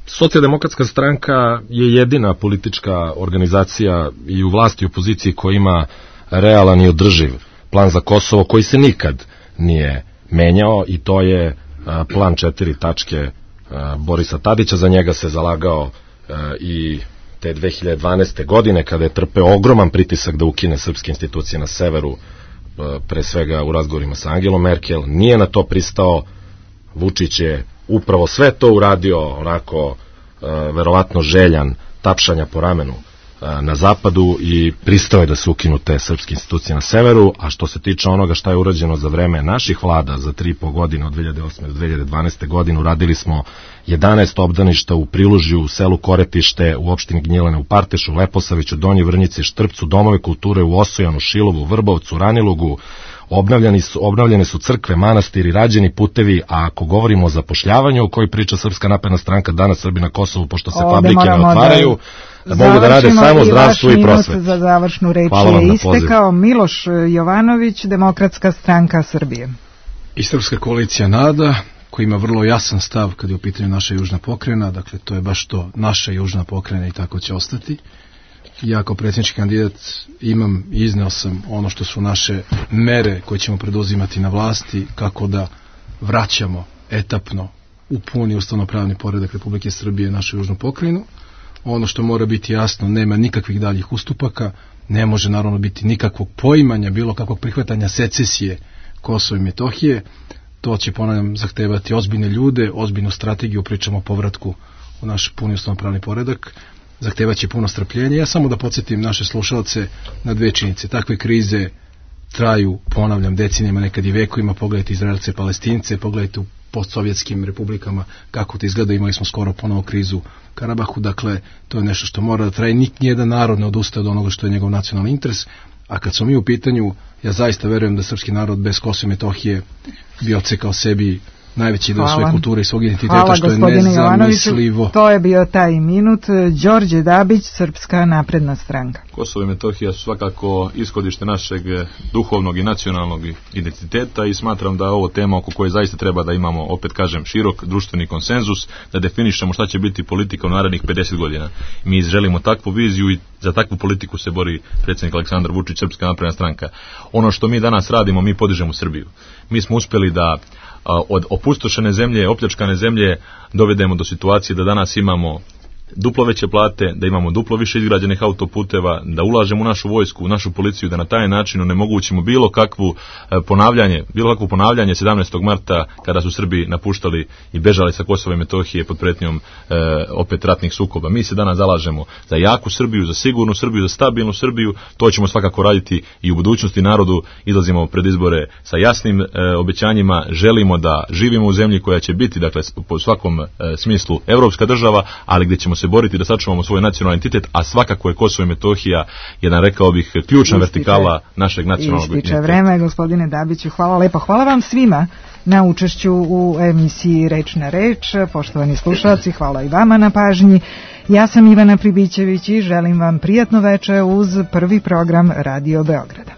Socijaldemokratska stranka je jedina politička organizacija i u vlasti i opoziciji koja ima realan i održiv plan za Kosovo koji se nikad nije menjao i to je plan 4 tačke Borisa Tadića. Za njega se zalagao i te 2012. godine kada je trpeo ogroman pritisak da ukine srpske institucije na severu, pre svega u razgovorima sa Angelom Merkel. Nije na to pristao. Vučić je upravo sve to uradio onako verovatno željan tapšanja po ramenu na zapadu i pristao je da se ukinu te srpske institucije na severu. A što se tiče onoga šta je urađeno za vreme naših vlada za 3,5 godine od 2008. do 2012. godine, uradili smo 11 obdaništa u Prilužju, u selu Koretište, u opštini Gnjilane, u Partešu, Leposaviću, Donjoj Vrnjici, Štrpcu, domove kulture u Osojanu, Šilovu, Vrbovcu, Ranilugu. Obnavljane su crkve, manastiri, rađeni putevi, a ako govorimo o zapošljavanju o kojoj priča Srpska napredna stranka, danas Srbi na Kosovu, pošto se fabrike ne otvaraju, da mogu da rade samo zdravstvo i prosvetu. Za završnu reč je istekao. Miloš Jovanović, Demokratska stranka Srbije. I Srpska koalicija NADA, koji ima vrlo jasan stav kad je u pitanju naša južna pokrajina, dakle to je baš to, naša južna pokrajina i tako će ostati. Ja kao predsjednički kandidat imam i izneo sam ono što su naše mere koje ćemo preduzimati na vlasti, kako da vraćamo etapno u puni ustavnopravni poredak Republike Srbije našu južnu pokrajinu. Ono što mora biti jasno, nema nikakvih daljih ustupaka, ne može naravno biti nikakvog poimanja, bilo kakvog prihvatanja secesije Kosova i Metohije. To će, ponavljam, zahtevati ozbiljne ljude, ozbiljnu strategiju, pričamo o povratku u naš puni ustavnopravni poredak. Zahtevaće puno strpljenja. Ja samo da podsjetim naše slušalce na 2 činjenice. Takve krize traju, ponavljam, decenijama, nekad i vekovima. Pogledajte Izraelce, Palestince, pogledajte u postsovjetskim republikama kako to izgleda. Imali smo skoro ponovo krizu u Karabahu. Dakle, to je nešto što mora da traje. Nijedan narod ne odustaje od onoga što je njegov nacionalni interes. A kad smo mi u pitanju, ja zaista verujem da srpski narod bez Kosova i Metohije bi odsekao sebi najveći deo svoje kulture i svog identiteta, što je nezamislivo. To je bio taj minut. Đorđe Dabić, Srpska napredna stranka. Kosovo i Metohija su svakako ishodište našeg duhovnog i nacionalnog identiteta i smatram da je ovo tema oko koje zaista treba da imamo, opet kažem, širok društveni konsenzus, da definišemo šta će biti politika u narednih 50 godina. Mi želimo takvu viziju i za takvu politiku se bori predsjednik Aleksandar Vučić, Srpska napredna stranka. Ono što mi danas radimo, mi podižemo Srbiju. Mi smo uspeli da od opustošene zemlje, opljačkane zemlje dovedemo do situacije da danas imamo duplo veće plate, da imamo duplo više izgrađenih autoputeva, da ulažemo u našu vojsku, u našu policiju, da na taj način onemogućimo bilo kakvo ponavljanje 17. marta kada su Srbi napuštali i bežali sa Kosova i Metohije pod pretnjom opet ratnih sukoba. Mi se danas zalažemo za jaku Srbiju, za sigurnu Srbiju, za stabilnu Srbiju. To ćemo svakako raditi i u budućnosti. Narodu izlazimo pred izbore sa jasnim obećanjima. Želimo da živimo u zemlji koja će biti, dakle, po svakom smislu evropska država, ali gdje ćemo se boriti da sačuvamo svoj nacionalni identitet, a svakako je Kosovo i Metohija jedan, rekao bih, ključna vertikala našeg nacionalnog identiteta. Ističe vreme, gospodine Dabiću, hvala lepo. Hvala vam svima na učešću u emisiji Reč na reč. Poštovani slušalci, hvala i vama na pažnji. Ja sam Ivana Pribićević i želim vam prijatno veče uz prvi program Radio Beograda.